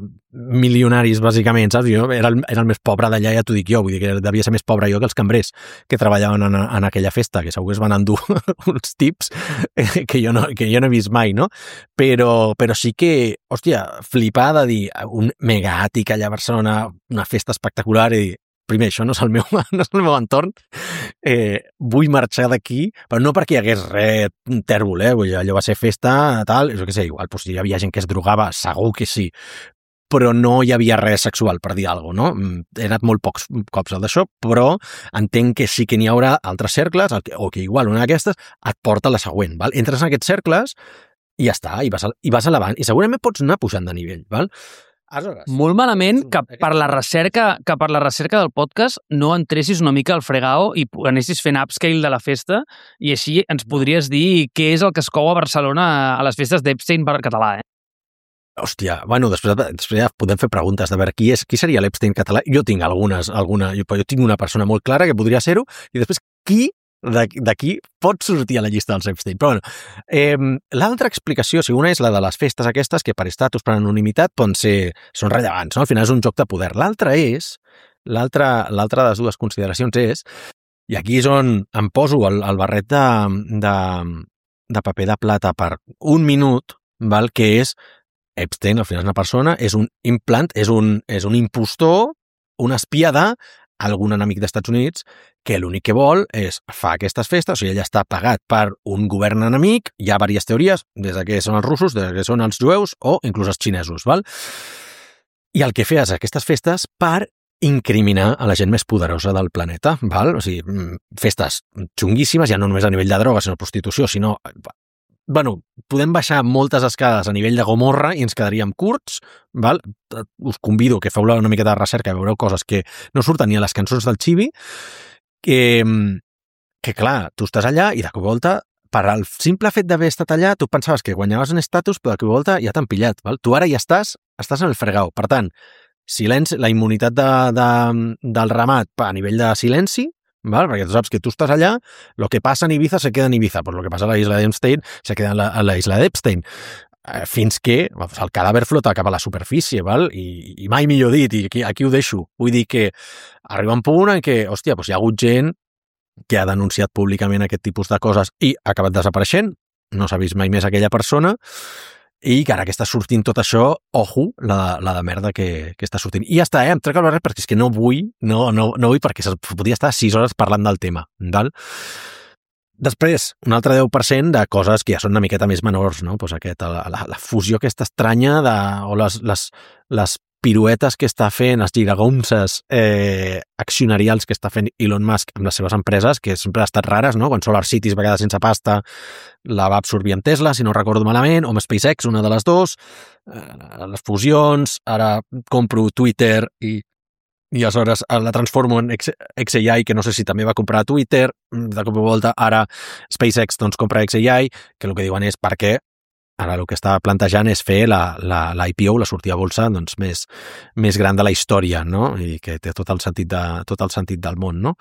milionaris, bàsicament, saps? Jo era el, era el més pobre d'allà, ja t'ho dic jo, vull dir que devia ser més pobre jo que els cambrers que treballaven en, en aquella festa, que segur que es van endur uns tips que jo, no, que jo no he vist mai, no? Però, però sí que, hòstia, flipar de dir un megàtic allà a Barcelona, una festa espectacular, i dir, primer, això no és el meu, no és el meu entorn, eh, vull marxar d'aquí, però no perquè hi hagués res tèrbol, eh? Vull dir, allò va ser festa, tal, jo què sé, igual, doncs, hi havia gent que es drogava, segur que sí, però no hi havia res sexual, per dir alguna cosa, no? He anat molt pocs cops al d'això, però entenc que sí que n'hi haurà altres cercles, o que igual una d'aquestes et porta a la següent, val? Entres en aquests cercles i ja està, i vas, i vas elevant, i segurament pots anar pujant de nivell, val? Aleshores, molt malament que per la recerca que per la recerca del podcast no entressis una mica al fregao i anessis fent upscale de la festa i així ens podries dir què és el que es cou a Barcelona a les festes d'Epstein per català, eh? Hòstia, bueno, després, després ja podem fer preguntes de veure qui és, qui seria l'Epstein català. Jo tinc algunes, alguna, jo, jo tinc una persona molt clara que podria ser-ho, i després qui d'aquí pot sortir a la llista dels Epstein. Però bueno, eh, l'altra explicació, si una és la de les festes aquestes, que per estatus, per anonimitat, poden ser, són rellevants, no? Al final és un joc de poder. L'altra és, l'altra l'altra de les dues consideracions és, i aquí és on em poso el, el barret de, de, de paper de plata per un minut, val? Que és Epstein, al final és una persona, és un implant, és un, és un impostor, un espia de algun enemic d'Estats Units que l'únic que vol és fa aquestes festes, o sigui, ell està pagat per un govern enemic, hi ha diverses teories, des de que són els russos, des de que són els jueus o inclús els xinesos, val? I el que feia és aquestes festes per incriminar a la gent més poderosa del planeta, val? O sigui, festes xunguíssimes, ja no només a nivell de droga, sinó prostitució, sinó... Bueno, podem baixar moltes escales a nivell de Gomorra i ens quedaríem curts, val? Us convido que feu una miqueta de recerca i veureu coses que no surten ni a les cançons del Chibi, que, que clar, tu estàs allà i de cop i volta, per al simple fet d'haver estat allà, tu pensaves que guanyaves un estatus, però de cop i volta ja t'han pillat, val? Tu ara ja estàs, estàs en el fregau. Per tant, silenci, la immunitat de, de, del ramat a nivell de silenci, ¿vale? Perquè tu saps que tu estàs allà, lo que passa en Ibiza se queda en Ibiza, pues lo que passa a la isla d'Epstein se queda en la, a la isla d'Epstein, eh, fins que pues, el cadàver flota cap a la superfície, val? I, i mai millor dit, i aquí, aquí ho deixo. Vull dir que arriba un punt en què, hòstia, pues hi ha hagut gent que ha denunciat públicament aquest tipus de coses i ha acabat desapareixent, no s'ha vist mai més aquella persona, i que ara que està sortint tot això, ojo, la, la de merda que, que està sortint. I ja està, eh? Em trec el barret perquè és que no vull, no, no, no vull perquè podria estar sis hores parlant del tema, val? Després, un altre deu per cent de coses que ja són una miqueta més menors, no? Pues aquest, la, la, la fusió aquesta estranya de, o les, les, les piruetes que està fent, les giragonses eh, accionarials que està fent Elon Musk amb les seves empreses, que sempre han estat rares, no? Quan SolarCity es va quedar sense pasta, la va absorbir amb Tesla, si no recordo malament, o amb SpaceX, una de les dues, eh, les fusions, ara compro Twitter i i aleshores la transformo en X A I, que no sé si també va comprar Twitter, de cop i volta ara SpaceX doncs compra X A I, que el que diuen és per què ara el que està plantejant és fer la, la, la I P O, la sortida a bolsa doncs, més, més gran de la història, no? I que té tot el sentit, de, tot el sentit del món, no?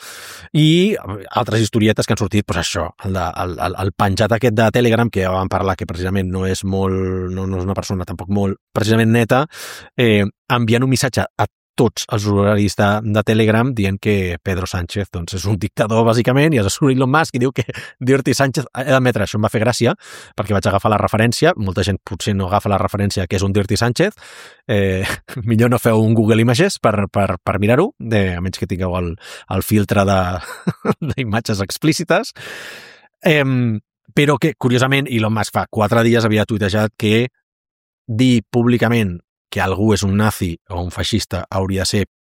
I altres historietes que han sortit, doncs això, el, de, el, el, el penjat aquest de Telegram, que ja vam parlar, que precisament no és molt, no, no és una persona tampoc molt precisament neta, eh, enviant un missatge a tots els usuaris de, de Telegram dient que Pedro Sánchez doncs, és un dictador, bàsicament, i és Elon Musk i diu que Dirty Sánchez... He d'admetre, això em va fer gràcia, perquè vaig agafar la referència, molta gent potser no agafa la referència que és un Dirty Sánchez, eh, millor no feu un Google Images per, per, per mirar-ho, a menys que tingueu el, el filtre d'imatges explícites, eh, però que, curiosament, Elon Musk fa quatre dies havia tuitejat que dir públicament que algú és un nazi o un feixista hauria de ser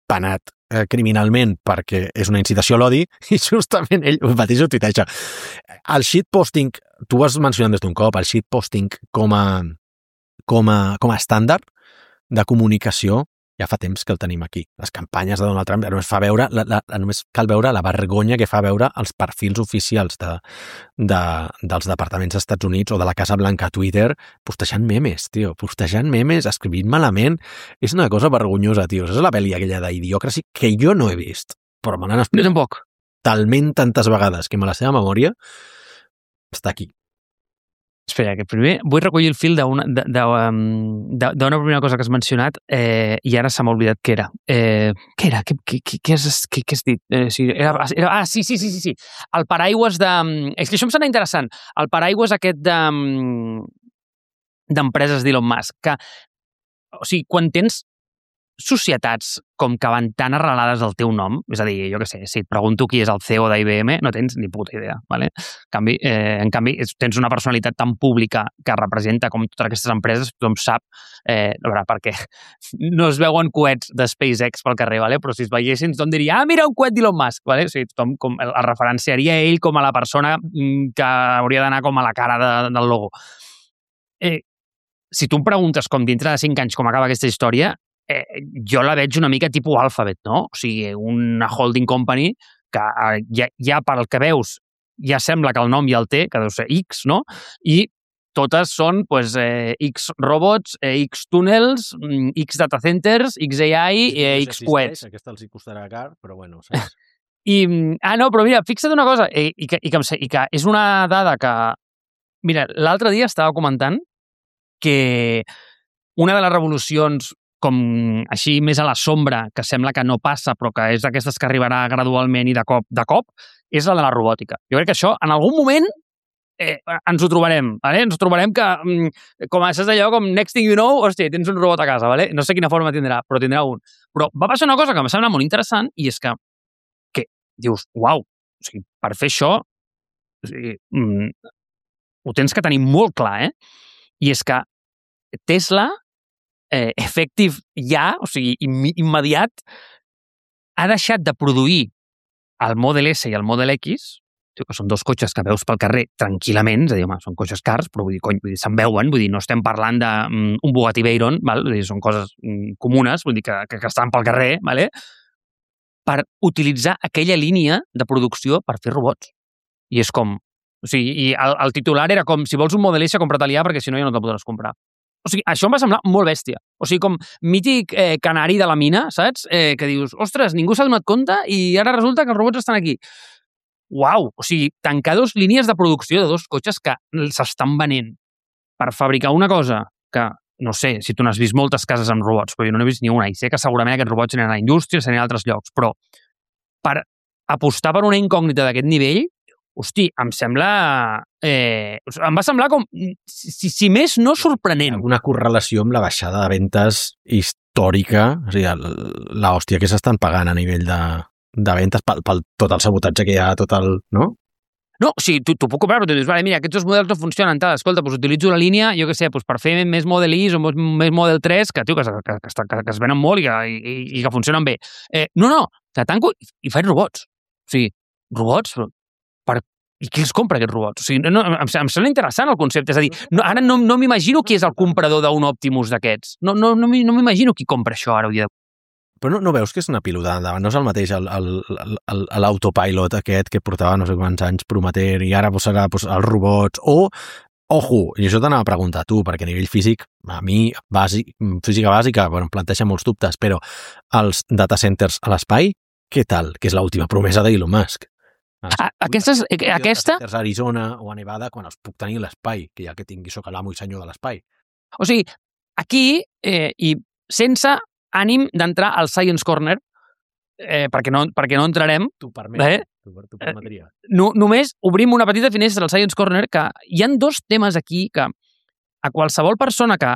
penat eh, criminalment perquè és una incitació a l'odi, i justament ell mateix ho tuiteja. El shitposting, tu ho has mencionat des d'un cop, el shitposting com a, com a, com a estàndard de comunicació ja fa temps que el tenim aquí. Les campanyes de Donald Trump només, fa veure, la, la, només cal veure la vergonya que fa veure els perfils oficials de, de, dels departaments dels Estats Units o de la Casa Blanca a Twitter postejant memes, tio, postejant memes, escrivint malament. És una cosa vergonyosa, tio. És la pel·li aquella d'Idiocracy que jo no he vist, però me l'han explicat tampoc. Talment tantes vegades que me la seva memòria està aquí. Espera, que primer vull recollir el fil d'una d'una primera cosa que has mencionat eh, i ara se m'ha oblidat què era. Eh, què era? Què, què, què, has, què, què has dit? Eh, sí, era, era, ah, sí, sí, sí, sí, sí. El paraigües de... És que això em sembla interessant. El paraigües aquest de d'empreses d'Elon Musk. Que, o sigui, quan tens societats com que van tan arrelades al teu nom, és a dir, jo què sé, si et pregunto qui és el C E O d'I B M, no tens ni puta idea, ¿vale? En canvi, eh, en canvi tens una personalitat tan pública que representa com totes aquestes empreses, tothom sap, eh, a veure, perquè no es veuen coets de SpaceX pel carrer, ¿vale? Però si es veiessin, tothom diria, ah, mira un coet d'Elon Musk, ¿vale? O sigui, tothom com, el referenciaria ell com a la persona que hauria d'anar com a la cara de, del logo. Eh, si tu em preguntes com dintre de cinc anys com acaba aquesta història, Eh, jo la veig una mica tipus Alphabet, no? O sigui, una holding company que eh, ja, ja pel que veus ja sembla que el nom ja el té, que deu ser X, no? I totes són pues, eh, X robots, eh, X túnels, X data centers, X A I i eh, X coets. Aquesta els hi costarà car, però bueno, saps? I, ah, no, però mira, fixa't una cosa, i, i, que, i, que, i que és una dada que... Mira, l'altre dia estava comentant que una de les revolucions com així més a la sombra, que sembla que no passa, però que és d'aquestes que arribarà gradualment i de cop, de cop, és la de la robòtica. Jo crec que això, en algun moment, eh, ens ho trobarem, ¿vale? Ens ho trobarem que, com és allò, com next thing you know, hòstia, tens un robot a casa, ¿vale? No sé quina forma tindrà, però tindrà un. Però va passar una cosa que em sembla molt interessant, i és que, que dius, uau, o sigui, per fer això, o sigui, mm, ho tens que tenir molt clar, eh? I és que Tesla, Eh, efectiu ja, o sigui, im immediat, ha deixat de produir el Model S i el Model X, que són dos cotxes que veus pel carrer tranquil·lament, és a dir, home, són cotxes cars, però vull dir, cony, vull dir, se'n veuen, vull dir, no estem parlant d'un um, Bugatti Veyron, val? Vull dir, són coses um, comunes, vull dir, que, que, que estan pel carrer, vale? Per utilitzar aquella línia de producció per fer robots. I és com... O sigui, i el, el titular era com, si vols un Model S, compra-te'l ja, perquè si no ja no te'l podràs comprar. O sigui, això em va semblar molt bèstia. O sigui, com mític eh, canari de la mina, saps? Eh, que dius, ostres, ningú s'ha donat compte i ara resulta que els robots estan aquí. Uau! O sigui, tancar dos línies de producció de dos cotxes que s'estan venent per fabricar una cosa que, no sé, si tu n'has vist moltes cases amb robots, però jo no n'he vist ni una, i sé que segurament aquests robots aniran a la indústria, aniran a altres llocs, però per apostar per una incògnita d'aquest nivell, hosti, em sembla... Eh, em va semblar com, si, si més, no sorprenent. Una correlació amb la baixada de ventes històrica, o sigui, l'hòstia que s'estan pagant a nivell de, de ventes pel, pel tot el sabotatge que hi ha, tot el... no? No, o sigui, tu, tu puc comprar, però tu dius, vale, mira, aquests dos models no funcionen, tal, escolta, doncs utilitzo la línia, jo què sé, doncs per fer més Model I o més Model tres, que, tio, que, que, que, que, que es venen molt i que, i, i que funcionen bé. Eh, no, no, que tanco i, i faig robots. O sigui, robots, per, i qui els compra, aquests robots? O sigui, no, em, em sembla interessant el concepte, és a dir, no, ara no, no m'imagino qui és el comprador d'un Optimus d'aquests. No, no, no m'imagino qui compra això ara, avui dia. Però no, no veus que és una pilotada endavant? No és el mateix l'autopilot aquest que portava no sé quants anys prometent i ara serà pues, els robots o, ojo, i això t'anava a preguntar a tu, perquè a nivell físic, a mi, bàsic, física bàsica, bueno, em planteja molts dubtes, però els data centers a l'espai, què tal? Que és l'última promesa d'Elon Musk. Ah, aquestes, aquesta... A Arizona o a Nevada quan els puc tenir a l'espai, que ja que tingui soc l'amo i senyor de l'espai. O sigui, aquí, eh, i sense ànim d'entrar al Science Corner, eh, perquè, no, perquè no entrarem. Tu permet, eh? tu, tu permetria. Eh, no, només obrim una petita finestra al Science Corner, que hi han dos temes aquí que a qualsevol persona que,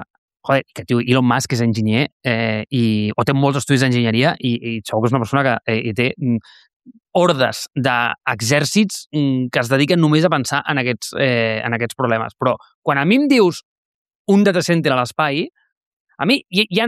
joder, que tio, Elon Musk és enginyer eh, i, o té molts estudis d'enginyeria i, i segur que és una persona que eh, té hordes d'exèrcits que es dediquen només a pensar en aquests, eh, en aquests problemes. Però quan a mi em dius un data center a l'espai, a mi hi, hi ha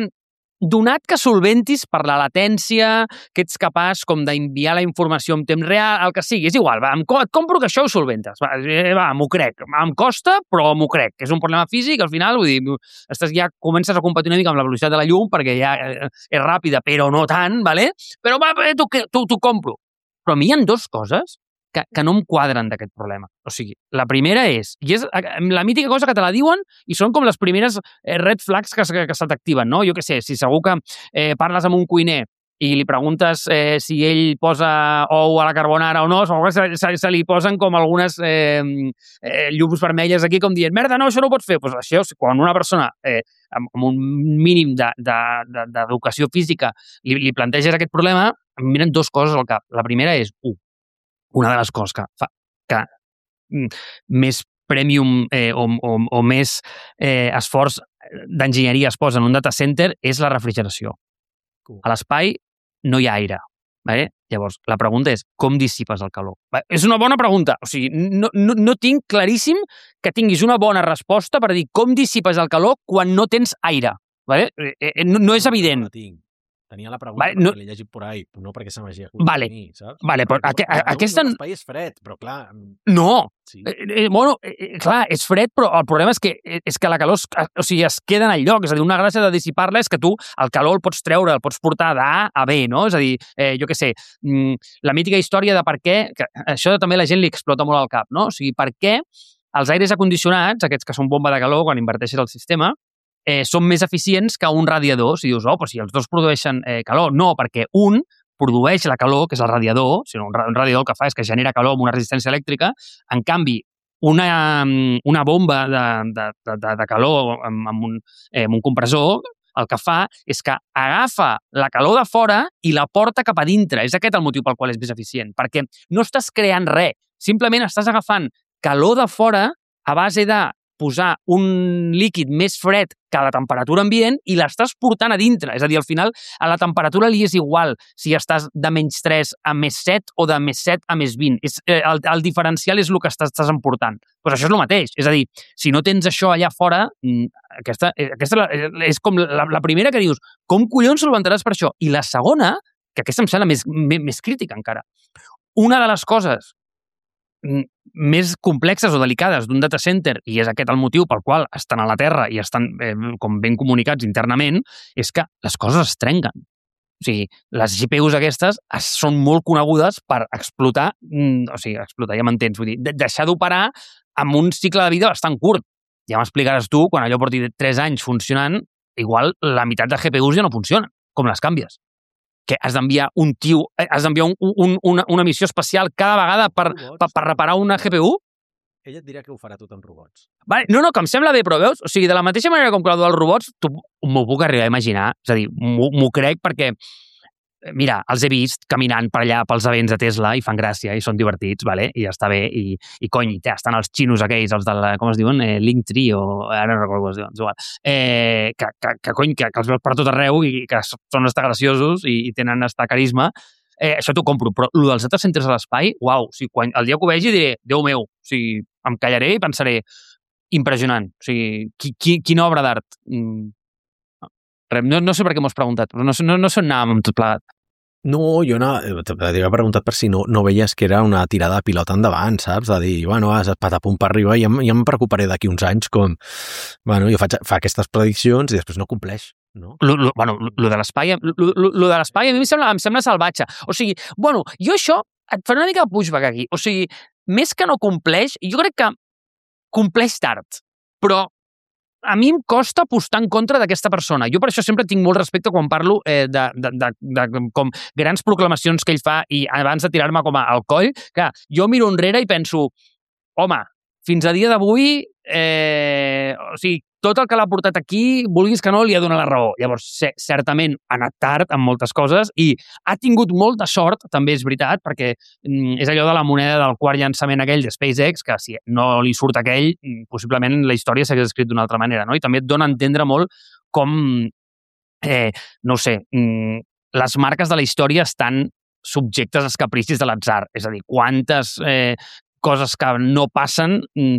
donat que solventis per la latència, que ets capaç com d'enviar la informació en temps real, el que sigui, és igual, va, em, et compro que això ho solventes, va, va m'ho crec, em costa, però m'ho crec, és un problema físic, al final, vull dir, estàs ja comences a competir una mica amb la velocitat de la llum, perquè ja és ràpida, però no tant, vale? Però va, t'ho compro. Però a mi hi ha dues coses que, que no em quadren d'aquest problema. O sigui, la primera és, i és la mítica cosa que te la diuen i són com les primeres red flags que, que, que se t'activen, no? Jo què sé, si segur que eh, parles amb un cuiner i li preguntes eh, si ell posa ou a la carbonara o no, se, se, se li posen com algunes eh, eh, llums vermelles aquí com dient, merda, no, això no ho pots fer. Pues això, quan una persona eh, amb, amb un mínim d'educació de, de, de, física li, li planteges aquest problema, em miren dues coses al cap. La primera és, un, una de les coses que fa que més premium eh, o, o, o més eh, esforç d'enginyeria es posa en un data center és la refrigeració. A l'espai no hi ha aire. Vale? Llavors, la pregunta és, com dissipes el calor? Vale? És una bona pregunta. O sigui, no, no, no tinc claríssim que tinguis una bona resposta per dir com dissipes el calor quan no tens aire. Vale? Eh, eh, no, no és evident. No tinc. Tenia la pregunta vale, no... perquè l'he llegit por ahí, no perquè se m'hagi acudit vale. a mi, saps? Vale, però aqu a, aquesta... L'espai és fred, però clar... No! Sí. Eh, eh, bueno, eh, clar, és fred, però el problema és que, és que la calor es, o sigui, es queda en el lloc. És a dir, una gràcia de dissipar-la és que tu el calor el pots treure, el pots portar d'A a B, no? És a dir, eh, jo què sé, la mítica història de per què... Que això també la gent li explota molt al cap, no? O sigui, per què els aires acondicionats, aquests que són bomba de calor quan inverteixes el sistema, Eh, són més eficients que un radiador. Si dius, oh, però si els dos produeixen eh, calor. No, perquè un produeix la calor, que és el radiador, o sigui, un radiador el que fa és que genera calor amb una resistència elèctrica. En canvi, una, una bomba de, de, de, de calor amb, amb, un, eh, amb un compressor el que fa és que agafa la calor de fora i la porta cap a dintre. És aquest el motiu pel qual és més eficient, perquè no estàs creant res, simplement estàs agafant calor de fora a base de posar un líquid més fred que a la temperatura ambient i l'estàs portant a dintre. És a dir, al final, a la temperatura li és igual si estàs de menys tres a més set o de més set a més vint. És, eh, el, el diferencial és el que estàs, estàs emportant. Pues això és el mateix. És a dir, si no tens això allà fora, aquesta, aquesta és com la, la primera que dius, com collons solventaràs per això? I la segona, que aquesta em sembla més, més, més crítica encara, una de les coses més complexes o delicades d'un data center, i és aquest el motiu pel qual estan a la Terra i estan eh, com ben comunicats internament, és que les coses es trenquen. O sigui, les G P Us aquestes es, són molt conegudes per explotar, mm, o sigui, explotar, ja m'entens, vull dir, de, deixar d'operar amb un cicle de vida bastant curt. Ja m'explicaràs tu, quan allò porti tres anys funcionant, igual la meitat de G P Us ja no funcionen, com les canvies. Que has d'enviar un tio, has d'enviar un, un, una, una missió espacial cada vegada per, per, per reparar una G P U? Ella et dirà que ho farà tot amb robots. Vale, no, no, que em sembla bé, però veus? O sigui, de la mateixa manera com que el dels robots, m'ho puc arribar a imaginar. És a dir, m'ho crec perquè, mira, els he vist caminant per allà pels events de Tesla i fan gràcia i són divertits, vale? I ja està bé. I, i cony, ja estan els xinos aquells, els de la, com es diuen? Eh, Linktree o... Ara no recordo com es diuen, és igual. Eh, que, que, que, cony, que, que els veus per tot arreu i que són estar graciosos i, i tenen estar carisma. eh, això t'ho compro, però el dels data centers a l'espai, uau, o sigui, quan, el dia que ho vegi diré, Déu meu, o sigui, em callaré i pensaré, impressionant, o sigui, qui, qui, quina obra d'art. Mm. No, no sé per què m'ho has preguntat, però no, no, no sé on anàvem amb tot plegat. No, jo no, t'havia preguntat per si no, no veies que era una tirada de pilota endavant, saps? De dir, bueno, has patapum per arriba i ja, ja em preocuparé d'aquí uns anys com, bueno, jo faig, fa aquestes prediccions i després no compleix, no? Lo, lo, bueno, lo, lo de l'espai lo, lo, lo de l'espai a mi em sembla, em sembla salvatge. O sigui, bueno, jo això et faré una mica de pushback aquí. O sigui, més que no compleix, jo crec que compleix tard, però a mi em costa apostar en contra d'aquesta persona. Jo per això sempre tinc molt respecte quan parlo eh, de, de, de, de com grans proclamacions que ell fa i abans de tirar-me com al coll, que jo miro enrere i penso, home, fins a dia d'avui, eh, o sigui, tot el que l'ha portat aquí, vulguis que no, li ha donat la raó. Llavors, certament ha anat tard en moltes coses i ha tingut molta sort, també és veritat, perquè mm, és allò de la moneda del quart llançament aquell de SpaceX, que si no li surt aquell, possiblement la història s'hagués escrit d'una altra manera, no? I també et dona a entendre molt com, eh, no ho sé, mm, les marques de la història estan subjectes als capricis de l'atzar. És a dir, quantes eh, coses que no passen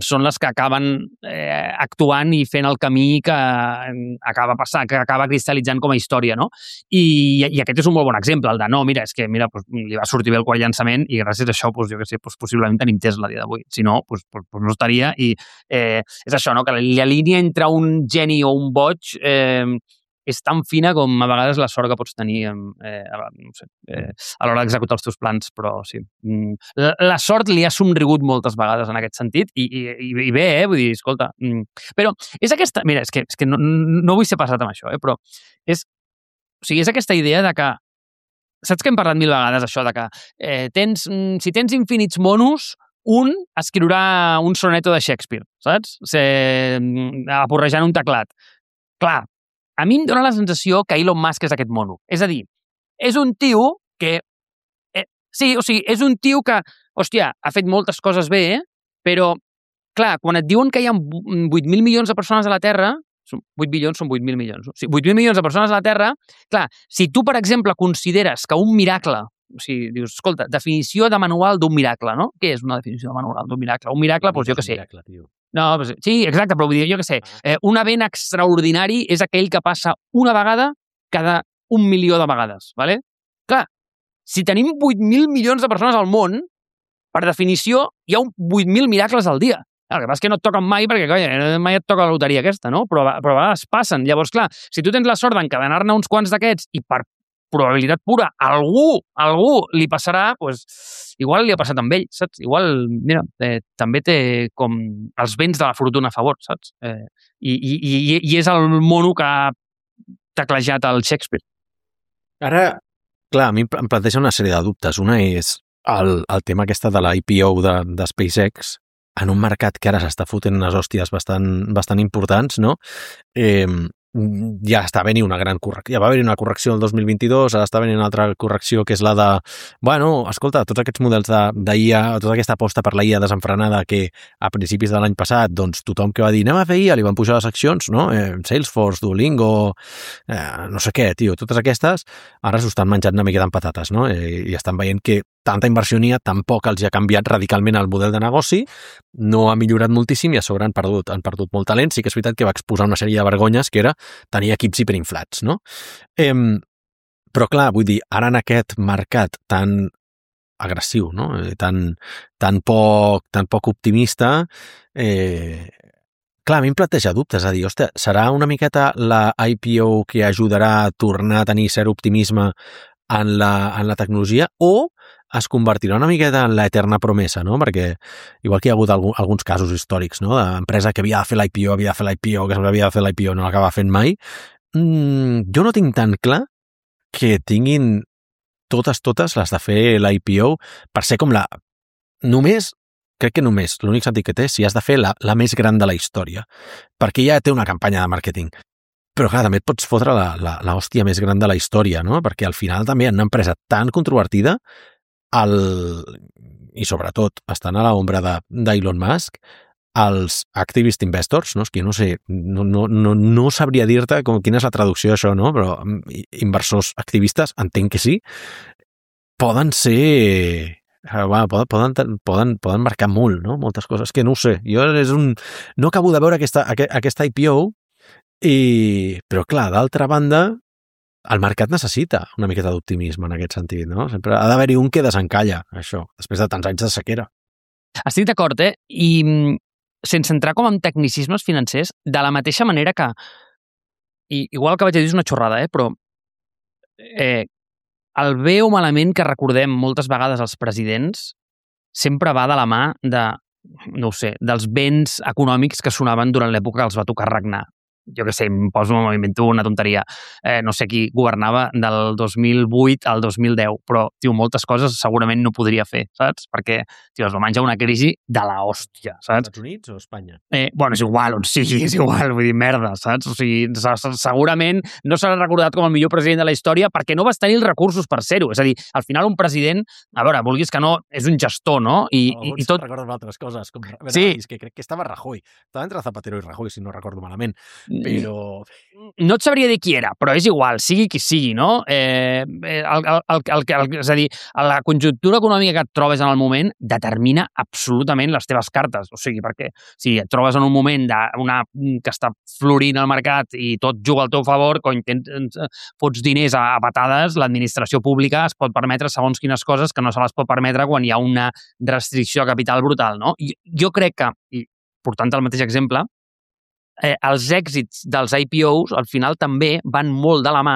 són les que acaben eh, actuant i fent el camí que acaba passant, que acaba cristal·litzant com a història, no? I, i aquest és un molt bon exemple, el de no, mira, és que mira, pues, li va sortir bé el quart llançament i gràcies a això, pues, jo què sé, pues, possiblement tenim Tesla a dia d'avui. Si no, pues, pues, pues no estaria. I eh, és això, no? Que la línia entre un geni o un boig eh, és tan fina com a vegades la sort que pots tenir eh, no sé, eh, a l'hora d'executar els teus plans, però sí. La, la sort li ha somrigut moltes vegades en aquest sentit i, i, i bé, eh? Vull dir, escolta, però és aquesta... Mira, és que, és que no, no vull ser passat amb això, eh? Però és, o sigui, és aquesta idea de que saps que hem parlat mil vegades això de que eh, tens, si tens infinits monos, un escriurà un soneto de Shakespeare, saps? O sigui, aporrejant un teclat. Clar, a mi em dóna la sensació que Elon Musk és aquest mono. És a dir, és un tio que... Eh, sí, o sigui, és un tio que, hòstia, ha fet moltes coses bé, eh? Però, clar, quan et diuen que hi ha vuit mil milions de persones a la Terra, vuit bilions són vuit mil milions, no? O sigui, vuit mil milions de persones a la Terra, clar, si tu, per exemple, consideres que un miracle, o sigui, dius, escolta, definició de manual d'un miracle, no? Què és una definició de manual d'un miracle? Un miracle, doncs jo què sé. Un miracle, tio. No, sí, exacte, però vull dir, jo què sé, eh, un event extraordinari és aquell que passa una vegada cada un milió de vegades, ¿vale? Clar, si tenim vuit mil milions de persones al món, per definició, hi ha un vuit mil miracles al dia. El que passa és que no et toquen mai perquè, colla, mai et toca la loteria aquesta, no? Però, però a vegades passen. Llavors, clar, si tu tens la sort d'encadenar-ne uns quants d'aquests i per probabilitat pura, algú, algú li passarà, doncs, igual li ha passat amb ell, saps? Igual, mira, eh, també té com els vents de la fortuna a favor, saps? Eh, i, i, I és el mono que ha teclejat el Shakespeare. Ara, clar, a mi em planteja una sèrie de dubtes. Una és el, el tema aquesta de la I P O de, de SpaceX en un mercat que ara s'està fotent unes hòsties bastant, bastant importants, no? Eh, ja està venint una gran correcció, ja va haver una correcció el dos mil vint-i-dos, ara està venint una altra correcció que és la de, bueno, escolta, tots aquests models d'I A, tota aquesta aposta per la I A desenfrenada que a principis de l'any passat, doncs tothom que va dir anem a fer I A, li van pujar les accions, no? Eh, Salesforce, Duolingo, eh, no sé què, tio, totes aquestes, ara s'ho estan menjant una miqueta amb patates, no? Eh, I estan veient que tanta inversió n'hi ha, tampoc els ha canviat radicalment el model de negoci, no ha millorat moltíssim i a sobre han perdut, han perdut molt talent. Sí que és veritat que va exposar una sèrie de vergonyes que era tenir equips hiperinflats, no? Eh, però clar, vull dir, ara en aquest mercat tan agressiu, no? Eh, tan, tan, poc, tan poc optimista, eh, clar, a mi em planteja dubtes, a dir, hòstia, serà una miqueta la I P O que ajudarà a tornar a tenir cert optimisme en la, en la tecnologia o es convertirà una miqueta en l'eterna promesa, no? Perquè igual que hi ha hagut algun, alguns casos històrics, no? D'empresa que havia de fer l'I P O, havia de fer l'I P O, que havia de fer l'I P O, no l'acaba fent mai. Mm, jo no tinc tan clar que tinguin totes, totes les de fer l'I P O per ser com la... Només, crec que només, l'únic sentit que té, si has de fer la, la més gran de la història. Perquè ja té una campanya de màrqueting. Però clar, també et pots fotre la, la, la hòstia més gran de la història, no? Perquè al final també en una empresa tan controvertida el, i sobretot estan a l'ombra d'Elon Musk, els activist investors, no? És que no sé, no, no, no, no sabria dir-te com, quina és la traducció d'això, no? Però inversors activistes, entenc que sí, poden ser... Bueno, poden, poden, poden marcar molt, no? Moltes coses, que no ho sé. Jo és un... no acabo de veure aquesta, aquesta I P O, i... però clar, d'altra banda, el mercat necessita una miqueta d'optimisme en aquest sentit, no? Sempre ha d'haver-hi un que desencalla, això, després de tants anys de sequera. Estic d'acord, eh? I sense entrar com en tecnicismes financers, de la mateixa manera que, i igual que vaig dir és una xorrada, eh? Però eh, el bé o malament que recordem moltes vegades els presidents sempre va de la mà de, no ho sé, dels béns econòmics que sonaven durant l'època que els va tocar regnar. Jo què sé, em poso, m'invento una tonteria. Eh, no sé qui governava del dos mil vuit al dos mil deu, però, tio, moltes coses segurament no podria fer, saps? Perquè, tio, es va menjar una crisi de la hòstia, saps? Estats Units o Espanya? Eh, bueno, és igual, on sigui, és igual, vull dir, merda, saps? O sigui, segurament no serà recordat com el millor president de la història perquè no vas tenir els recursos per ser-ho. És a dir, al final un president, a veure, vulguis que no, és un gestor, no? I, no, i, i tot... recordo altres coses, com... Sí. És que crec que estava Rajoy. Estava entre Zapatero i Rajoy, si no recordo malament. Però... no et sabria dir qui era, però és igual, sigui qui sigui, no? Eh, el, el, el, el, el, és a dir, la conjuntura econòmica que et trobes en el moment determina absolutament les teves cartes. O sigui, perquè si et trobes en un moment de una, que està florint al mercat i tot juga al teu favor, quan tens, fots diners a, a patades, l'administració pública es pot permetre segons quines coses que no se les pot permetre quan hi ha una restricció a capital brutal, no? Jo, jo crec que, i portant el mateix exemple, Eh, els èxits dels I P Os al final també van molt de la mà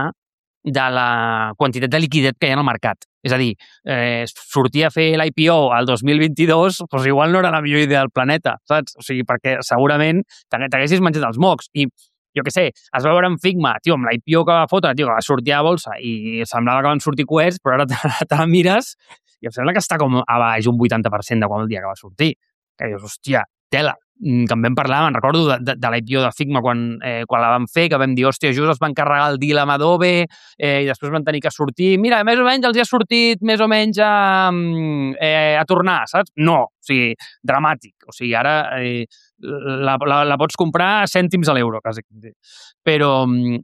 de la quantitat de liquiditat que hi ha al mercat. És a dir, eh, sortir a fer l'I P O al dos mil vint-i-dos, doncs igual no era la millor idea del planeta, saps? O sigui, perquè segurament t'haguessis menjat els mocs. I jo què sé, es va veure en Figma, tio, amb l'I P O que va fotre, tio, que va sortir a bolsa i semblava que van sortir coets, però ara te, te la mires i em sembla que està com a baix un vuitanta per cent de quan el dia que va sortir. Que dius, hòstia, tela, que en vam parlar, me'n recordo de, de, de l'I P O de Figma quan, eh, quan la vam fer, que vam dir, hòstia, just es van carregar el deal amb Adobe eh, i després van tenir que sortir. Mira, més o menys els hi ha sortit més o menys a, eh, a tornar, saps? No, o sigui, dramàtic. O sigui, ara eh, la, la, la pots comprar a cèntims a l'euro, quasi. Però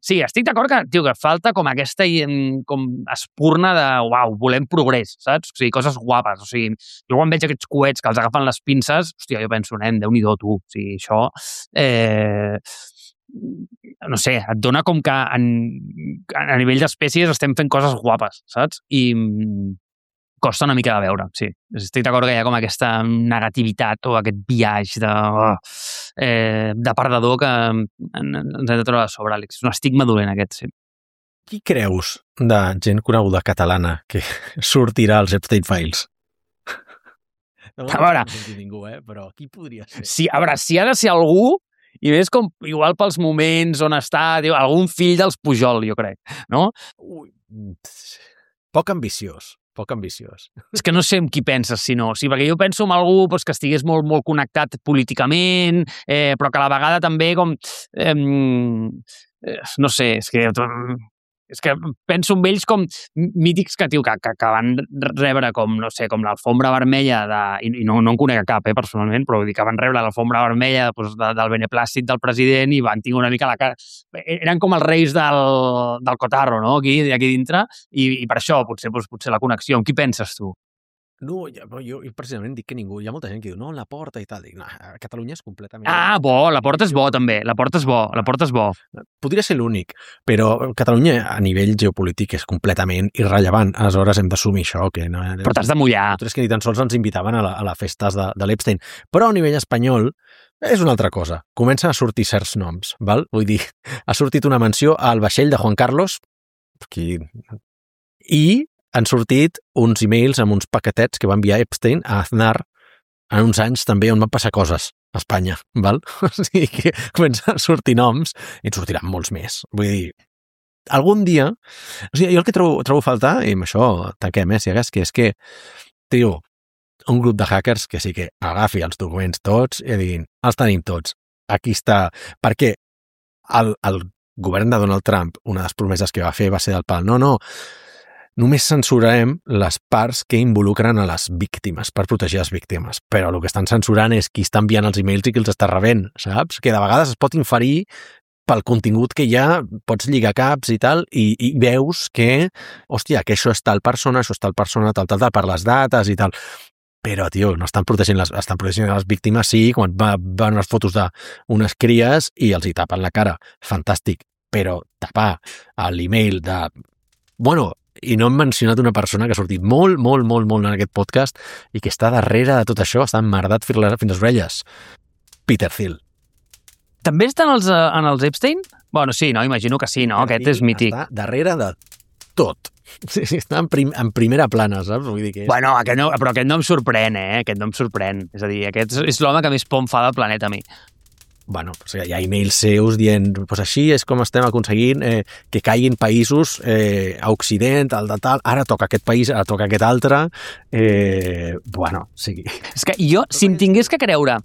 sí, estic d'acord que, tio, que falta com aquesta com espurna de, uau, volem progrés, saps? O sigui, coses guapes. O sigui, jo quan veig aquests coets que els agafen les pinces, hòstia, jo penso, nen, Déu-n'hi-do, tu. O sigui, això... Eh, no sé, et dona com que en, a nivell d'espècies estem fent coses guapes, saps? I costa una mica de veure, sí. Estic d'acord que hi ha com aquesta negativitat o aquest viatge de, eh, de perdedor que ens hem de trobar a sobre, Àlex. És un estigma dolent aquest, sí. Qui creus de gent coneguda catalana que sortirà als Epstein Files? No, a veure, no ningú, eh? Però qui podria ser? Sí, a veure, si ha de ser algú, i més com, igual pels moments on està, diu, algun fill dels Pujol, jo crec, no? Ui, poc ambiciós. Poc ambiciós. És que no sé amb qui penses, si no. Sí, perquè jo penso en algú doncs, que estigués molt, molt connectat políticament, eh, però que a la vegada també com... Eh, no sé, és que... És que penso en ells com mítics que, tio, que, que, que van rebre com, no sé, com l'alfombra vermella de, i no, no en conec cap, eh, personalment, però vull dir que van rebre l'alfombra vermella doncs, de, del beneplàcit del president i van tenir una mica la cara... Eren com els reis del, del cotarro, no?, aquí, aquí dintre, i, i per això potser, doncs, potser la connexió. Amb qui penses tu? No, jo, jo precisament dic que ningú... Hi ha molta gent que diu, no, la Porta i tal. Dic, no, Catalunya és completament... Ah, bo, la Porta és bo, també. La Porta és bo, la Porta és bo. Podria ser l'únic, però Catalunya a nivell geopolític és completament irrellevant. Aleshores hem d'assumir això. Que no, però t'has de mullar. Nosaltres que ni tan sols ens invitaven a, la, a les festes de, de l'Epstein. Però a nivell espanyol és una altra cosa. Comencen a sortir certs noms, val? Vull dir, ha sortit una menció al vaixell de Juan Carlos, qui... i han sortit uns e-mails amb uns paquetets que va enviar Epstein a Aznar en uns anys també on van passar coses a Espanya, val? O sigui que comencen a sortir noms i en sortiran molts més. Vull dir, algun dia... O sigui, jo el que trobo, trobo a faltar, i amb això tanquem, eh, si hagués, que és que, tio, un grup de hackers que sí que agafi els documents tots i diguin, els tenim tots. Aquí està... Perquè el, el govern de Donald Trump, una de les promeses que va fer va ser del pal. No, no, només censurarem les parts que involucren a les víctimes, per protegir les víctimes. Però el que estan censurant és qui està enviant els e-mails i qui els està rebent, saps? Que de vegades es pot inferir pel contingut que hi ha, pots lligar caps i tal, i, i veus que, hòstia, que això és tal persona, això és tal persona, tal, tal, tal, per les dates i tal. Però, tio, no estan protegint les, estan protegint les víctimes, sí, quan va, van unes fotos d'unes cries i els hi tapen la cara. Fantàstic. Però tapar a l'email de... Bueno, i no hem mencionat una persona que ha sortit molt, molt, molt, molt en aquest podcast i que està darrere de tot això, està emmerdat fins a les orelles. Peter Thiel. També estan els, en els Epstein? Bueno, sí, no? Imagino que sí, no? Aquest és mític. Està darrere de tot. Sí, sí, està en, prim, en primera plana, saps? Vull dir que és... Bueno, aquest no, però aquest no em sorprèn, eh? Aquest no em sorprèn. És a dir, aquest és l'home que més por em fa del planeta a mi. Bueno, o sigui, hi ha emails seus dient pues així és com estem aconseguint eh, que caiguin països eh, a Occident, al de tal, ara toca aquest país, ara toca aquest altre. Eh, bueno, o sigui... És que jo, si em tingués que creure...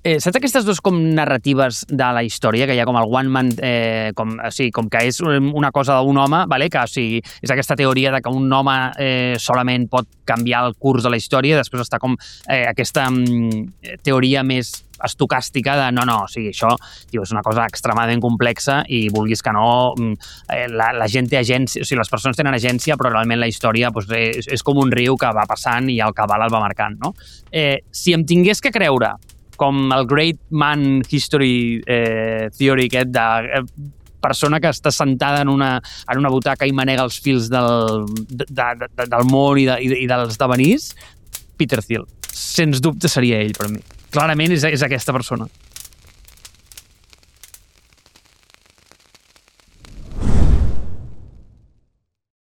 Eh, saps aquestes dues com narratives de la història, que hi ha com el one man, eh, com, o sigui, com que és una cosa d'un home, vale? Que o sigui, és aquesta teoria de que un home eh, solament pot canviar el curs de la història, després està com eh, aquesta mm, teoria més estocàstica de no, no, o sigui, això tio, és una cosa extremadament complexa i vulguis que no, eh, la, la gent té agència, o sigui, les persones tenen agència, però realment la història pues, és, és com un riu que va passant i el cabal el va marcant, no? Eh, si em tingués que creure com el Great Man History eh, Theory aquest de eh, persona que està sentada en una, en una butaca i manega els fils del, de, de, de, del món i, de, i dels devenirs, Peter Thiel. Sens dubte seria ell per mi. Clarament és, és aquesta persona.